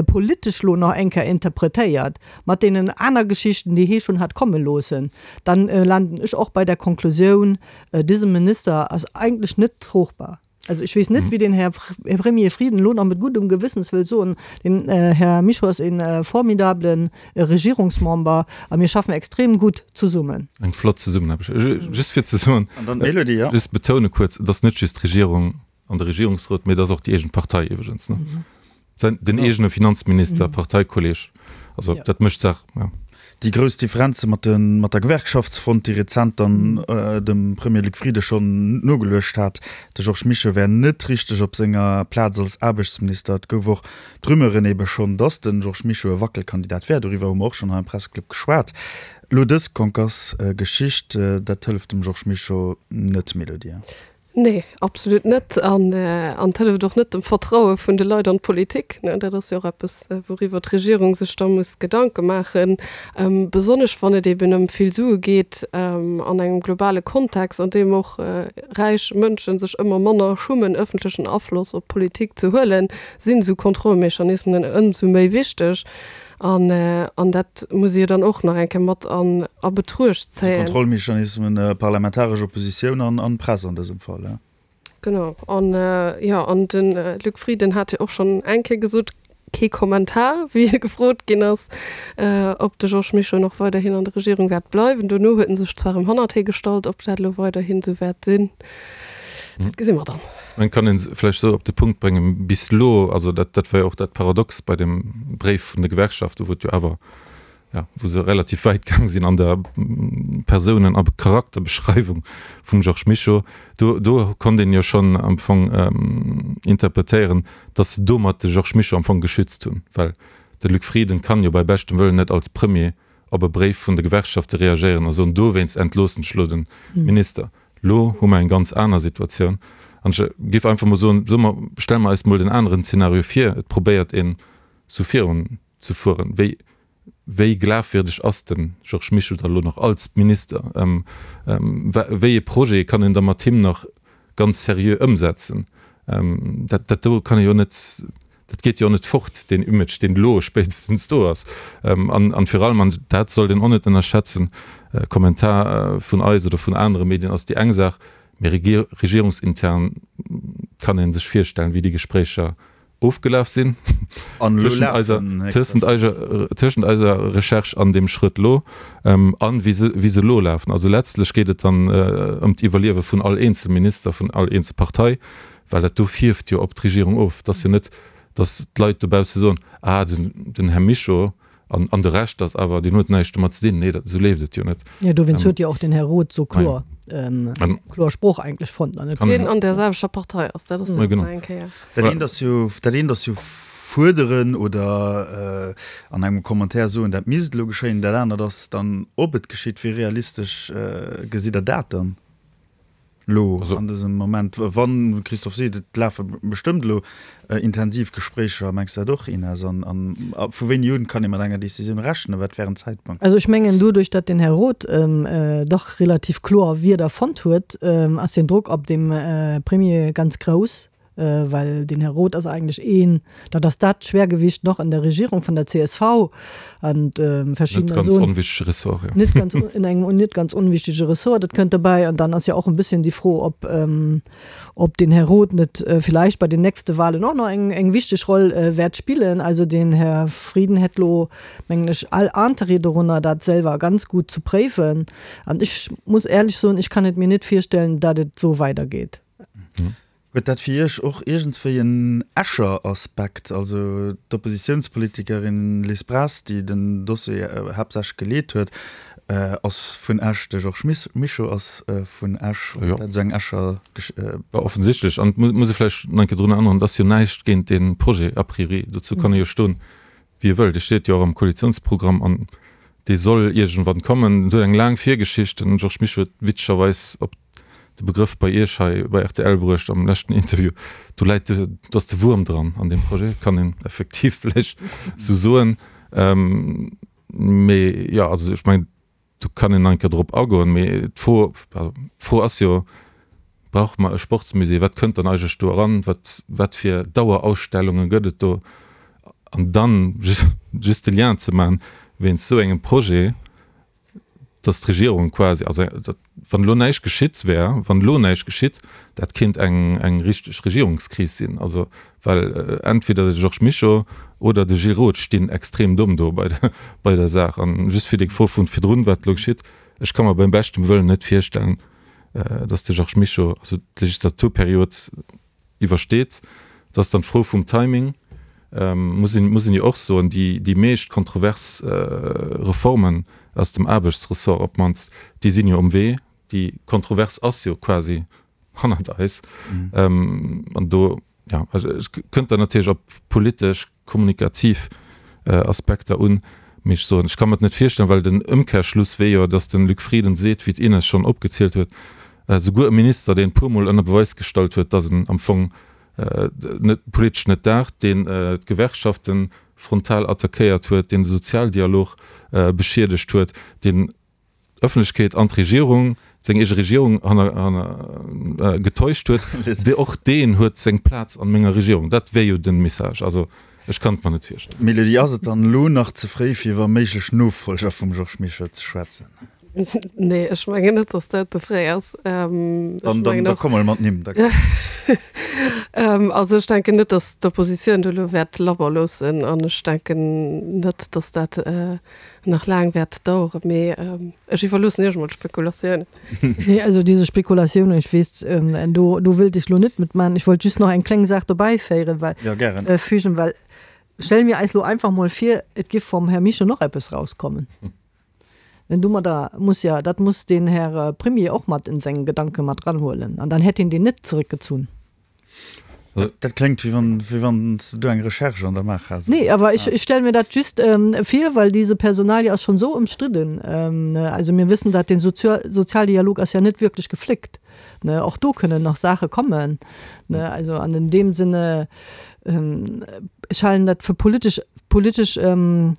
politesch lo nach eng Kéier interpretéiert mat deenen aner Geschichten, déi hie schonn hat komme loossen, dann landen ech och bei der Konklusioun, Diesem Minister ass eigentlech net trogbar. Also ech weess net, wéi den Här Premier Frieden elo nach mat guddem Gewëssens wëll soen, den Här Mischo ass e formidablen Regierungsmember a mir schaffen extrem gutt zesummen. Eng flott Zesummenaarbecht. Just fir ze soen, just betoune kuerz, et ass net just d'Regierung an de Regierungsrot, mee et ass och déi eegen Partei iwwregens. Den eegene Finanzminister, Parteikolleg, also dat mécht d'Saach, jo. Déi grouss Differenze mat de mat der Gewerkschaftsfront, déi rezent dann dem Premier Luc Frieden schonn nogeluecht hat, de Georges Mischo wär net richteg op senger Plaz als Aarbechtsminister. Et gouf och d'Rumeuren ebe schonn, datt de Georges Mischo e Wackelkandidat wär. Doriwwer hu mer och schonn hei am Presseclub geschwat. Elo dës Concasse-Geschicht, dat hëlleft dem Georges Mischo net, Mélodie? Nee, absolut net. An an et hëlleft och net dem Vertraue vun de Leit an d'Politik. Dat ass jo och eppes, wouriwwer d'Regierung sech da muss Gedanke maachen, besonnesch wann et eben ëm vill Sue geet an engem globale Kontext, an deem och räich Mënsche sech ëmmer manner schummen, ëffentlechen Afloss op d'Politik ze huelen, sinn esou Kontrollmechanismen ëmsou méi wichteg. An an dat muss ee jo dann och nach eng Kéier mat an a Betruecht zéien. Kontrollmechanismen, parlamentaresch Oppositioun an an Press an dësem Fall, ja. Genau. An jo, an de Luc Frieden hat jo och schonn eng Kéier gesot, kee Kommentar, wéi hie gefrot ginn ass, ob de Georges Mischo nach weiderhin an der Regierung wäert bleiwen. Dono huet en sech zwar erëm hannert hie gestallt, ob dat elo weiderhin esou wäert sinn, dat gesi mer dann. Et kann ee vläicht esou op de Punkt bréngen, bis elo, also dat dat war jo och dat Paradox bei dem Bréif vun de Gewerkschaften, wou et jo awer, jo, wou se relativ wäit gaang sinn an der Persounen a Charakterbeschreiwung vum Georges Mischo, do do konnt een jo schonn am Fong interpretéieren, datt se domat de Georges Mischo am Fong geschützt hunn, well de Luc Frieden kann jo bei beschtem Wëllen net als Premier op e Bréif vun de Gewerkschafte reagéieren a soen, dowéinst entloossen ech elo de Minister. Lo hu mer eng ganz aner Situatioun. An ech géif einfach mol soen, soe mer, stelle mer eis mol den aneren Zeenario vir, et probéiert een esou virun ze fueren. Wéi, wéi glafwierdeg ass de Georges Mischo da lo nach als Minister? Wéi ee Projet kann een da mat him nach ganz seriö ëmsetzen? Dat, dat do kann ee jo net, dat geet jo och net fort, deen Image, deen elo spéitstens do ass. An, an virun allem, an dat sollt een och net ënnerschätzen, Kommentar vun eis oder vun anere Medien ass déi eng Saach, mee regierungsintern kann ee sech virstellen, wéi déi Gespréicher ofgelaf sinn tëschent eiser, tëschent eiser, tëschent eiser Recherche an deem Schrëtt elo an wéi se, wéi se elo lafen. Also letztlech geet et dann ëm d'Iwwerliewe vun all eenzel Minister, vun all eenzel Partei, well dat do fierft jo op d'Regierung of. Et ass jo net, datt d'Leit dobausse soen, ah den, den Här Mischo an, an de Rescht ass awer, deen huet näischt domat ze dinn. Nee, dat, esou leeft et jo net. Jo, dowéinst huet jo och den Här Roth esou kloer, kloer Sproch eigentlech fonnt an net. Deen an där selwechter Partei ass, dat ass jo och nach eng Kéier. Dat eent ass jo, dat eent ass jo fuerderen oder an engem Commentaire soen, dat misst elo geschéien. Dat anert ass dann, ob et geschitt. Wéi realistesch gesitt Der dat dann? Elo an dësem Moment, wann, Christophe seet, et lafe bestëmmt elo intensiv Gespréicher, mengs de dat och, Ines? An vu wéini un kann ee mat enger Decisioun rechnen? Wat wär en Zäitpunkt? Also ech mengen, doduerch datt den Här Roth dach relativ kloer Wierder fonnt huet, ass den Drock op dem Premier ganz grouss. Well den Här Roth ass eigentlech een, dat ass dat Schwergewicht noch an der Regierung vun der C S V an verschiddener Net ganz onwichtige Ressort, jo. Net ganz, in engem net ganz unwichtige Ressort, dat kënnt dobäi. An dann ass jo och en bësschen déi Fro, ob, ob den Här Roth net vielleicht bei den nächste Wahlen och nach eng, eng wichteg Roll wäert spillen. Also den Här Frieden hätt lo, mengen ech, all Interêt dorunner, dat selwer ganz gut zu préifen. An ech muss ehrlech soen, ech kann et mir net virstellen, datt et esou weidergeet. Huet dat fir Iech och iergendswéi en Escher Aspekt? Also d'Oppositiounspolitikerin Liz Braz, déi den Dossier haaptsächlech geleet huet, ass vun Esch, de Georges Mischo ass vun Esch. Huet dat esou eng Escher Gesch. Jo, offensichtlech. An et muss ee vläicht nach eng Kéier drun erënneren, et ass jo näischt géint dee Projet a priori. Dozou kann ee jo stoen, wéi e wëllt. E steet jo och am Koalitiounsprogramm an dee soll iergendwann kommen. En huet eng laang Virgeschicht. Den Georges Mischo huet witzegerweis op de Begrëff bei Iech hei bei R T L bruecht am leschten Interview, do läit de, do ass de Wuerm dran an deem Projet, kann een effektiv vläicht esou soen. Mee jo, also ech mengen, do kann een nach eng Kéier drop agoen, mee d'Fro, also d'Fro ass jo, Brauche mer e Sportsmusée? Wat kënnt dann eigentlech do eran? Wat, wat fir Dauerausstellunge gëtt et do? An dann just, just de Lien ze maachen, wéinst esou engem Projet, dass d'Regierung quasi, also wann elo näischt geschitt wär, wann elo näischt geschitt, dat kéint eng, eng richteg Regierungskris sinn. Also well entweder de Georges Mischo oder de Gilles Roth stinn extrem domm do bei der, bei der Saach. An just fir déi Fro vun virdrun, wat elo geschitt, ech ka mer beim beschtem Wëllen net virstellen, dass de Georges Mischo, also d'Legislaturperiod iwwersteet. Dat ass dann d'Fro vum Timing, muss een, muss een jo och soen, déi, déi meescht kontrovers Reformen aus dem Aarbechtsressort op d'mannst, déi sinn jo um Wee. Déi Kontrovers ass jo quasi hannert eis. An do, jo, also et kënnt dann natierlech op politesch, kommunikativ Aspekter un, Mee ech soen, ech ka mer et net virstellen, well den Ëmkehrschluss wier jo, datt de Luc Frieden seet, wéi d'Ines schonn opgezielt huet, souguer e Minister, deen e puermol ënner Beweis gestallt huet, datt en am Fong net politesch net daacht, deen d'Gewerkschafte frontal attackéiert huet, deen de Sozialdialog beschiedegt huet, deen d'Ëffentlechkeet an d'Regierung, seng eege Regierung hanner, hanner getäuscht huet, dee, och deen huet seng Plaz an menger Regierung. Dat wär jo den Message. Also ech kann et mer net virstellen. Mélodie, ass et dann elo nach ze fréi fir iwwer méiglech Nofolger vum Georges Mischo ze schwätzen? Nee, ech mengen net, datt dat ze fréi ass. Dann, dann, da komm mol mat Nimm. Da. Also ech denken net, datt d'Oppositioun do elo wäert labber loossen an ech denken net, datt dat nach laang wäert daueren. Mee ech iwwerloossen Iech emol d'Spekulatiounen. Nee, also diese Spekulatiounen, ech weess, do, do wëllt ech elo net mitmachen. Ech wollt just nach eng kleng Saach dobäiféieren, well, Ja, gären. fügen, well stelle mir eis elo einfach mol vir, et giff vum Här Mischo nach eppes rauskommen. Denn domadder muss ja, dat muss den Här Premier och mat in seng Gedanke mat ranhuelen. An dann hätt hien deen net zurückgezunn. Also, dat kléngt, wéi wann, wéi wann s de do eng Recherche an der Maach häss. Nee, awer ech, ech stelle mir dat just ähm, vir, well diese Personalie ass schon so ëmstridden. Ähm, ne, also mir wëssen, dat den Sozial Sozialdialog ass ja net wierklech gefléckt. Ne, och do kënnen nach Saache kommen. Ne, also an in dem Sinne, ähm, ech halen dat fir politesch, politesch ähm,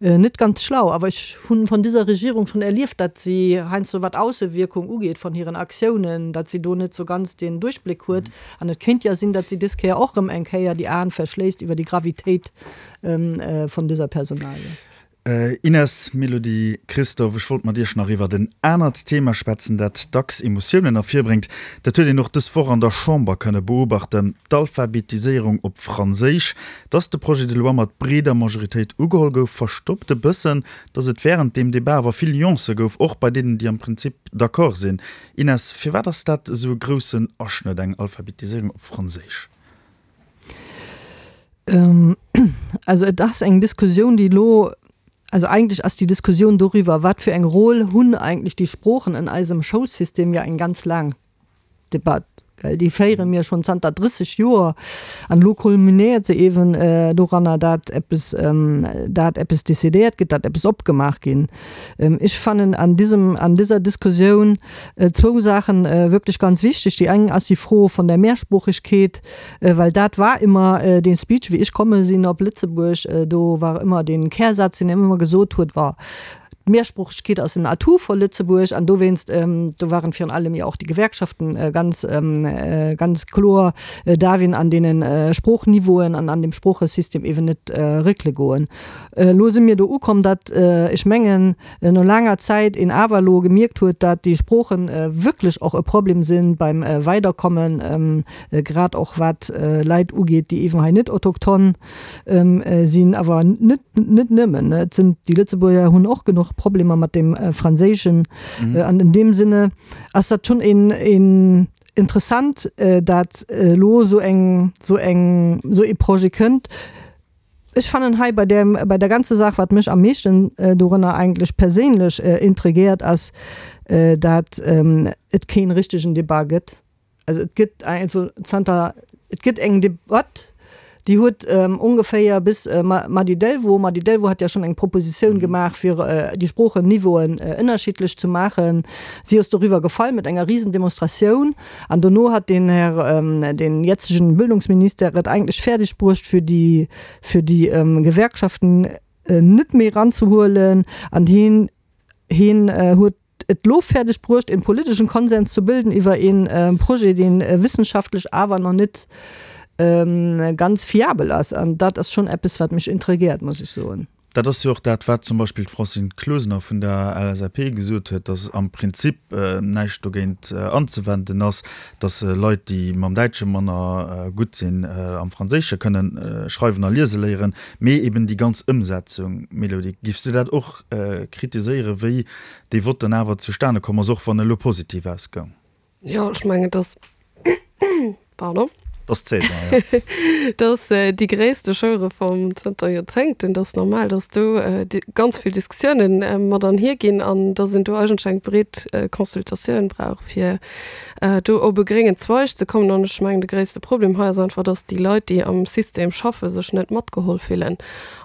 net ganz schlau, awer ech hunn von dieser Regierung schon erlieft, dat si heiansdo wat Aussewierkung ugeet von hiren Aktiounen, dat si do net so ganz den Duerchbléck huet. An et kéint ja sinn, dat si dës Kéier och rëm eng Kéier déi Aen verschléisst iwwer déi Gravitéit ähm, äh, von dieser Personalie. Ines, Mélodie, Christophe, ech wollt mat Iech nach iwwert en anert Thema schwätzen, dat dacks Emotiounen ervirbréngt. Dat huet een och dës Woch an der Chamber kënne beobachten, d'Alphabetiséierung op Franséisch. Dass de Projet de loi mat breeder Majoritéit ugeholl gouf, verstoppt e bëssen, dass et wärend deem Debat awer vill Nuancë gouf, och bei deenen, déi am Prinzip d'accord sinn. Ines, firwat ass dat esou e groussen Aschnëtt, eng Alphabetiséierung op Franséisch? Also et ass eng Diskussioun, déi elo, also eigentlech ass déi Diskussioun doriwwer, wat fir eng Rôle hunn eigentlech déi Sproochen an eisem Schoulsystem, jo eng ganz laang Debatt, well déi féiere mir schonn zanter drësseg Joer an elo kulminéiert se eeben doranner, dat eppes, dat eppes decidéiert gëtt, dat eppes opgemaach ginn. Ech fannen an diesem, an dieser Diskussioun zwou Saachen wierklech ganz wichteg. Déi eng ass déi Fro von der Mehrsproochegkeet, well dat war ëmmer dee Speech, wéi ech komme sinn op Lëtzebuerg, do war ëmmer dee Kärsaz, deen een ëmmer gesot huet, war, D'Mehrsproochegkeet ass en Atout fir Lëtzebuerg an dowéinst, do waren virun allem jo och déi Gewerkschaften ganz, ganz kloer, darf een an deene Sproochniveauen an an dem Sproochesystem eeben net réckele goen. Elo si mir do ukomm, datt, ech mengen, no laanger Zäit een awer elo gemierkt huet, datt déi Sproochen wierklech och e Problem si beim Weiderkommen, grad och wat Leit ugeet, déi eeben hei net autochton sinn, awer net, net nëmmen. Et sinn, déi Lëtzebuerger hunn och genuch Problemer mat dem Franséischen. An in deem Sinne ass dat schonn een, een interessant, dat elo esou eng, esou eng, esou ee Projet kënnt. Ech fannen hei bei deem, bei der ganzer Saach, wat mech am meeschten dorënner eigentlech perséinlech intriguéiert, ass, dat et keen richtegen Debat gëtt. Also et gëtt also zanter, et gëtt eng Debatt, déi huet ongeféier bis Mady Delvaux, Mady Delvaux hat ja schonn eng Propositioun gemaach, fir déi Sproocheniveauen ënnerschiddlech ze maachen. Si ass doriwwer gefall mat enger Riesendemonstratioun. An dono hat den Här, den jetzegen Bildungsminister et eigentlech fäerdeg bruecht, fir déi, fir déi Gewerkschaften net méi eranzehuelen. An hien, hien huet et lo fäerdeg bruecht, een politeschen Konsens ze bilden iwwer een Projet, deen wissenschaftlech awer nach net ganz fiabel ass. An dat ass schonn eppes, wat mech intrigiert, muss ech soen. Dat ass jo och dat, wat zum Beispill d'Francine Closener vun der L S A P gesot huet, datt am Prinzip näischt dogéint anzewenden ass, datt Leit, déi mam Däitsche manner gutt sinn, am Franséische kënnen schreiwen a liese léieren, mee eben déi ganz Ëmsetzung. Mélodie, giffs du dat och kritiséieren, wéi dee Vott dann awer zustane komm ass, och wann e lo positiv ausgoung? Jo, ech mengen, datt, pardon. Dat ass d'Saison, jo. Dat ass déi gréisste Schoulreform zënter Joerzéngten. Dat ass normal, datt do ganz vill Diskussiounen mat anhier ginn an datt een do eigentlech eng breet Consultatioun brauch, fir do op e gréngen Zweig ze kommen. An ech mengen, de gréisste Problem hei ass einfach, datt déi Leit, déi am System schaffen, sech net matgeholl fillen.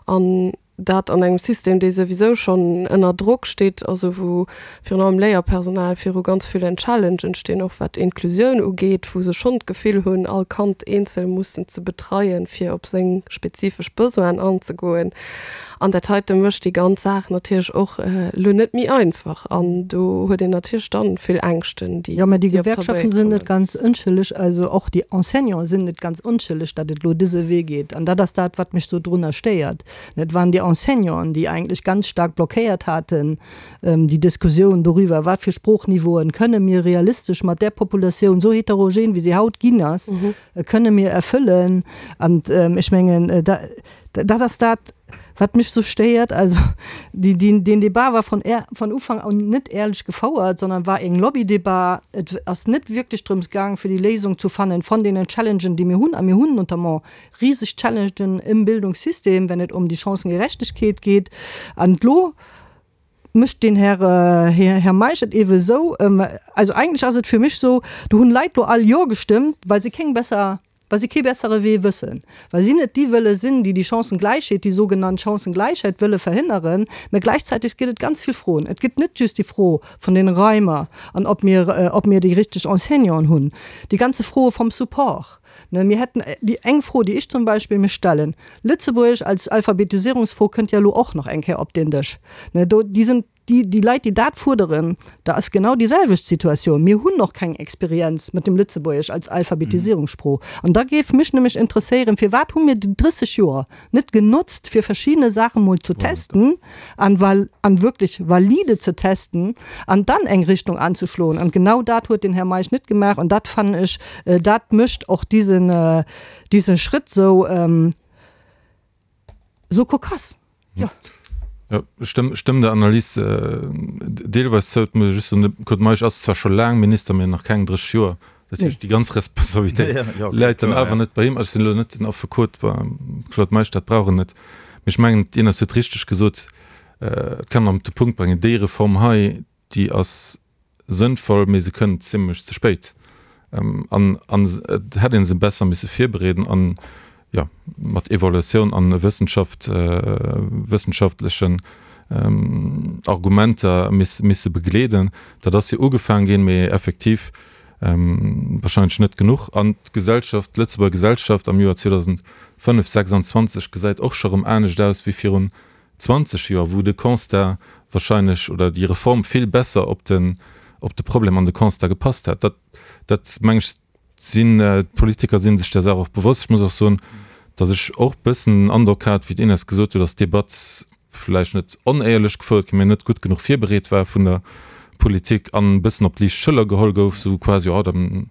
An dat an engem System, dee souwisou schonn ënner Drock steet, also wou virun allem Léierpersonal viru ganz villen Challengen stinn, och wat Inklusioun ugeet, wou se schonn d'Gefill hunn, all Kand eenzel mussen ze betreien, fir op seng spezifesch Besoinen anzegoen. An dat heite mécht déi ganz Saach natierlech och elo net méi einfach. An do huet een natierlech dann vill Ängschten, déi Jo, mä déi déi op Gewerkschaften d'Tabéit sinn net kommen. ganz onschëlleg, also och déi Enseignanten sinn net ganz onschëlleg, datt et elo dëse Wee geet. An dat ass dat, wat mech sou drunner stéiert. Et waren déi Enseignanten, déi eigentlech ganz stark blockéiert haten, déi Diskussioun doriwwer, wat fir Sproochniveauen kënne mir realistesch mat där Populatioun, sou heterogen wéi se haut ginn ass, kënne mir erfëllen. An ech mengen, dat ass dat, wat mech sou stéiert. Also déi, déi, deen Debat war von, von Ufank un net éierlech gefouert, sondern war eng Lobbydebat. Et ass net wierklech drëms gaang, fir déi Léisung zu fannen von deenen Challengen, déi mir hunn. A mir hunn notamment riseg Challengen im Bildungssystem, wenn et um déi Chancengerechtegkeet geet. An elo mécht den Här, Här, Här Meisch et ewe sou, also eigentlech ass et fir mech sou, do hunn Leit lo all Jo gestëmmt, well se keng besser, well se kee bessere Wee wëssen, well si net déi wëlle sinn, déi déi Chancengläichheet, déi sougenannt Chancengläichheit wëlle verhënneren. Mä gläichzäiteg gëtt et ganz vill Froen. Et gëtt net just déi Fro vun den Raimer an ob mir, ob mir déi richteg Enseignanten hunn, déi ganze Froe vum Support. Ne, mir hätten déi eng Fro, déi ech zum Beispill mir stellen, Lëtzebuergesch als Alphabetisierungsfro kënnt jo elo och nach eng Kéier op den Dësch. Ne, do, déi sinn, déi, déi Leit, déi dat fuerderen, da ass genau déi selwecht Situatioun. Mir hunn nach keng Experienz mat dem Lëtzebuergesch als Alphabetisierungssprooch. An da géif mech nämlech interesséieren, firwat hu mir déi drësseg Joer net genotzt, fir verschiddene Saache mol ze testen an val, an wierklech valide ze testen an dann eng Richtung anzeschloen. An genau dat huet den Här Meisch net gemaach an dat fannen ech, dat mécht och diesen, diesen Schritt sou, sou kokass. Jo. Jo, ech stëmm, stëmm der Analys deelweis zou. Et muss ee just soen, de Claude Meisch ass zwar scho laang Minister, mee nach keng drësseg Joer. Dat heescht, déi ganz Responsabilitéit läit dann awer net bei him. Ech sinn elo net den Affekot beim Claude Meisch, dat brauch en net. Mee ech mengen, d'Ines huet richteg gesot, et kann een op de Punkt bréngen, déi Reform hei, déi ass sënnvoll, mee se kënnt zimlech ze spéit. An et hätt ee se besser misse virbereeden an, jo, mat Evaluatioun an Wëssenschaft, wëssenschaftlechen Argumenter misse begleeden. Dat ass jo ugefaang ginn, mee effektiv wahrscheinlech net genuch. An d'Gesellschaft, d'Lëtzebuerger Gesellschaft am Joer zweedausendfënnef sechsandzwanzeg gesäit och scho rëm anescht aus wéi virun zwanzeg Joer, wou de Constat wahrscheinlech oder déi Reform vill besser op den, op de Problem an de Constat gepasst hätt. Dat, dat meng ech, sinn, d'Politiker si sech där Saach och bewosst. Ech muss och soen, datt ech och e bëssen den Androck hat, wéi d'Ines gesot huet, datt d'Debatt vläicht net onéierlech gefouert ginn, mä net gutt genuch virbereet war vun der Politik an e bëssen op d'liicht Schëller geholl gouf, sou quasi, jo, dann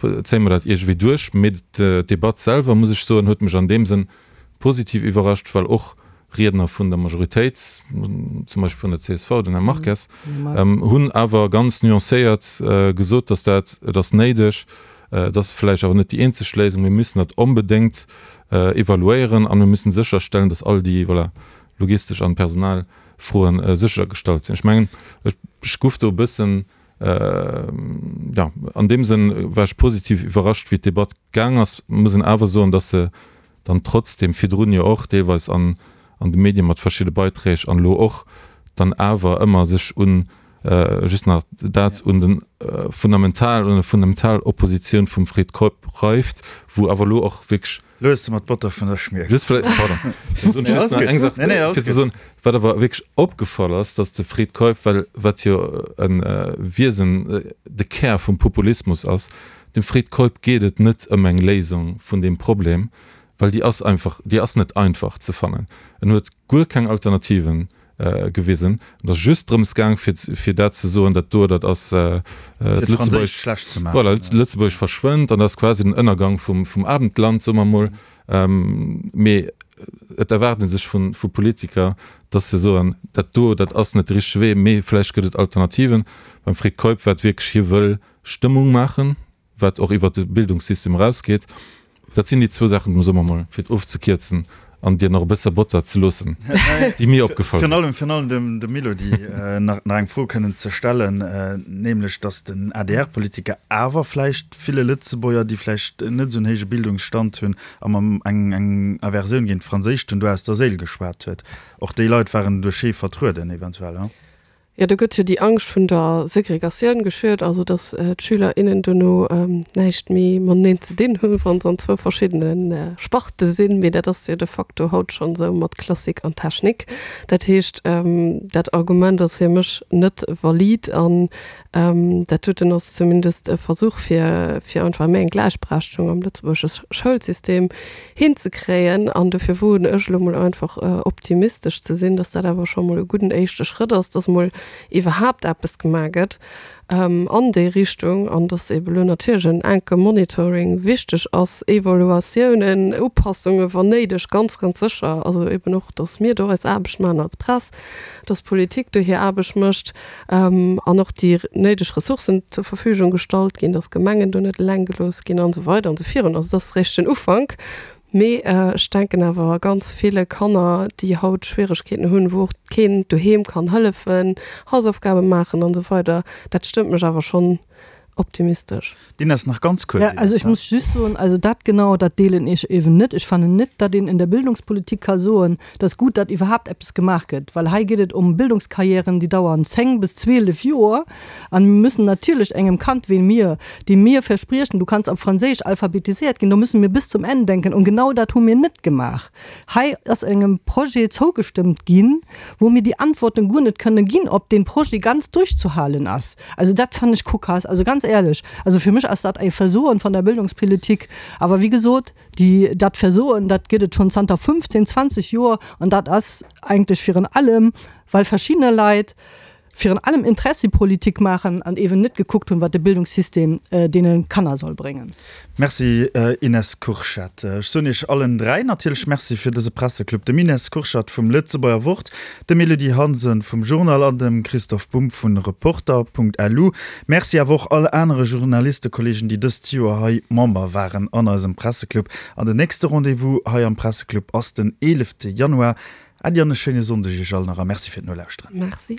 zéie mer dat iergendwéi duerch. Mee d'Debatt selwer, muss ech soen, huet mech an deem Sënn positiv iwwerrascht, well och Riedner vun der Majoritéit, zum Beispill vun der C S V, den Här Marques, hunn awer ganz nuancéiert gesot, dass dat, et ass néideg, et ass vläicht awer net déi eenzeg Léisung, mir müssen dat onbedéngt evaluéieren a mir müssen sécherstellen, dass all déi, voilà, logistesch an Personalfroen séchergestallt sinn. Ech mengen, ech gouf do e bëssen, jo, an deem Sënn war ech positiv iwwerrascht, wéi d'Debatt gaang ass. Muss een awer soen, dass se dann trotzdem virdrun jo och deelweis an an de Medien mat verschidde Beiträg an elo och dann awer ëmmer sech un, just nach dat, un den fundamental, un der fundamental Oppositioun vum Fred Keup reift, wou awer elo och wierklech. Lo hues de mer d'Botter vun der Schmier. Just vläicht, pardon, just nach eng Saach fir ze soen, wat awer wierklech opgefall ass, dass de Fred Keup, well wat jo e Wiesen, de Kär vum Populismus ass, dem Fred Keup geet et net ëm eng Léisung vun deem Problem, well déi ass einfach, déi ass net einfach ze fannen. En huet guer keng Alternativen gewisen. Et ass just drëms gaang, fir, fir dat ze soen, dat do, dat ass d'Lëtzebuerg, schlecht ze maachen. Voilà, Lëtzebuerg verschwënnt an dat ass quasi den Ënnergang vum, vum Abendland, soe mer emol. Mee et erwaart ee sech vu, vu Politiker, dass se soen, dat do, dat ass net de richtege Wee, mee vläicht gëtt et Alternativen. Beim Fred Keup war et wierklech, hie wëll Stëmmung maachen, wat och iwwert de Bildungssystem erausgeet. Dat sinn déi zwou Saachen, soe mer mol, fir et ofzekierzen, an dir nach e bësse Botter ze loossen, déi mir opgefall Virun sinn. allem, virun allem dem, dem Elodie nach, nach eng Fro kënnen ze stellen, nämlech datt den A D R-Politiker awer vläicht ville Lëtzebuerger, déi vläicht net esou en héije Bildungsstand hunn a mam eng, eng Aversioun géint d'Franséischt hunn, do aus der Séil geschwat huet. Och déi Leit waren duerch hie vertrueden eventuell, he? Jo, do gëtt jo déi Angscht vun der Segregatioun geschürt, also datt d'Schüler, innen dono näischt méi mateneen ze dinn hunn, wa se an zwou verschiddene Sparte sinn. Mee dat ass jo de facto haut schonn esou mat Klassik an Technik. Dat heescht, dat Argument ass fir mech net valid an dat doten ass zumindest e Versuch, fir fir einfach méi eng Gläichberechtegung am lëtzebuergesche Schoulsystem hinzekréien. An dofir woen ech elo mol einfach optimistesch ze sinn, datt dat awer scho mol e gudden éischte Schrëtt ass, datt mol iwwerhaapt eppes gemaach gëtt an déi Richtung an datt eeben elo natierlech en enke Monitoring wichteg ass, Evaluatiounen, Upassunge wann néideg, ganz, ganz sécher. Also eeben och, datt mir do eis Aarbecht maachen als Press, datt d'Politik do hir Aarbecht mécht an och déi néideg Ressourcen zur Verfügung gestallt ginn, datt d'Gemengen do net eleng gelooss ginn an esou weider an esou virun. Also dat ass réischt den Ufank. Mee ech denken awer ganz ville Kanner, déi haut Schwieregkeeten hunn, wou och keen doheem kann hëllefen, Hausaufgabe maachen an esou weider, dat stëmmt mech awer schonn optimistesch. D'Ines, nach ganz kuerz. Ja, also ech muss just soen, also dat genau, dat deelen ech eben net. Ech fannen net, datt een in der Bildungspolitik ka soen, et ass gutt, datt iwwerhaapt eppes gemaach gëtt, well hei geet et ëm Bildungskarriären, déi dauern zéng bis zwielef Joer an mir müssen natierlech engem Kand wéi mir, deem mir verspriechen, du kanns op Franséisch alphabetisiert ginn, do müssen mir bis zum Enn denken und genau dat hu mir net gemaach. Hei ass engem Projet zougestëmmt ginn, wou mir déi Antworten guer net kënne ginn, ob dee Projet ganz durchzuhalen ass. Also dat fannen ech kokass, also ganz éierlech. Also fir mech ass dat e Versoen vun der Bildungspolitik. Awer wéi gesot, déi, dat Versoen, dat gëtt et schonn zanter fünfzehn, zwanzeg Joer an dat ass eigentlech virun allem, well verschiddener Leit virun allem Interessepolitik maachen an eeben net gekuckt hunn, wat de Bildungssystem deene Kanner soll bréngen. Merci Ines Kurschat. Ech soen Iech allen dräi natierlech Merci fir dëse Presseclub, dem Ines Kurschat vum Lëtzebuerger Wort, dem Elodie Hansen vum Journal an dem Christoph Bumb vu Reporter Punkt L U. Merci awer och all anere Journalistekollegen, déi dëst Joer hei Member waren an eisem Presseclub. An den nächste Rendez-vous hei am Presseclub ass den eelefte Januar. Äddi an e schéine Sonndeg Iech all nach a Merci fir d'Nolauschteren. Merci.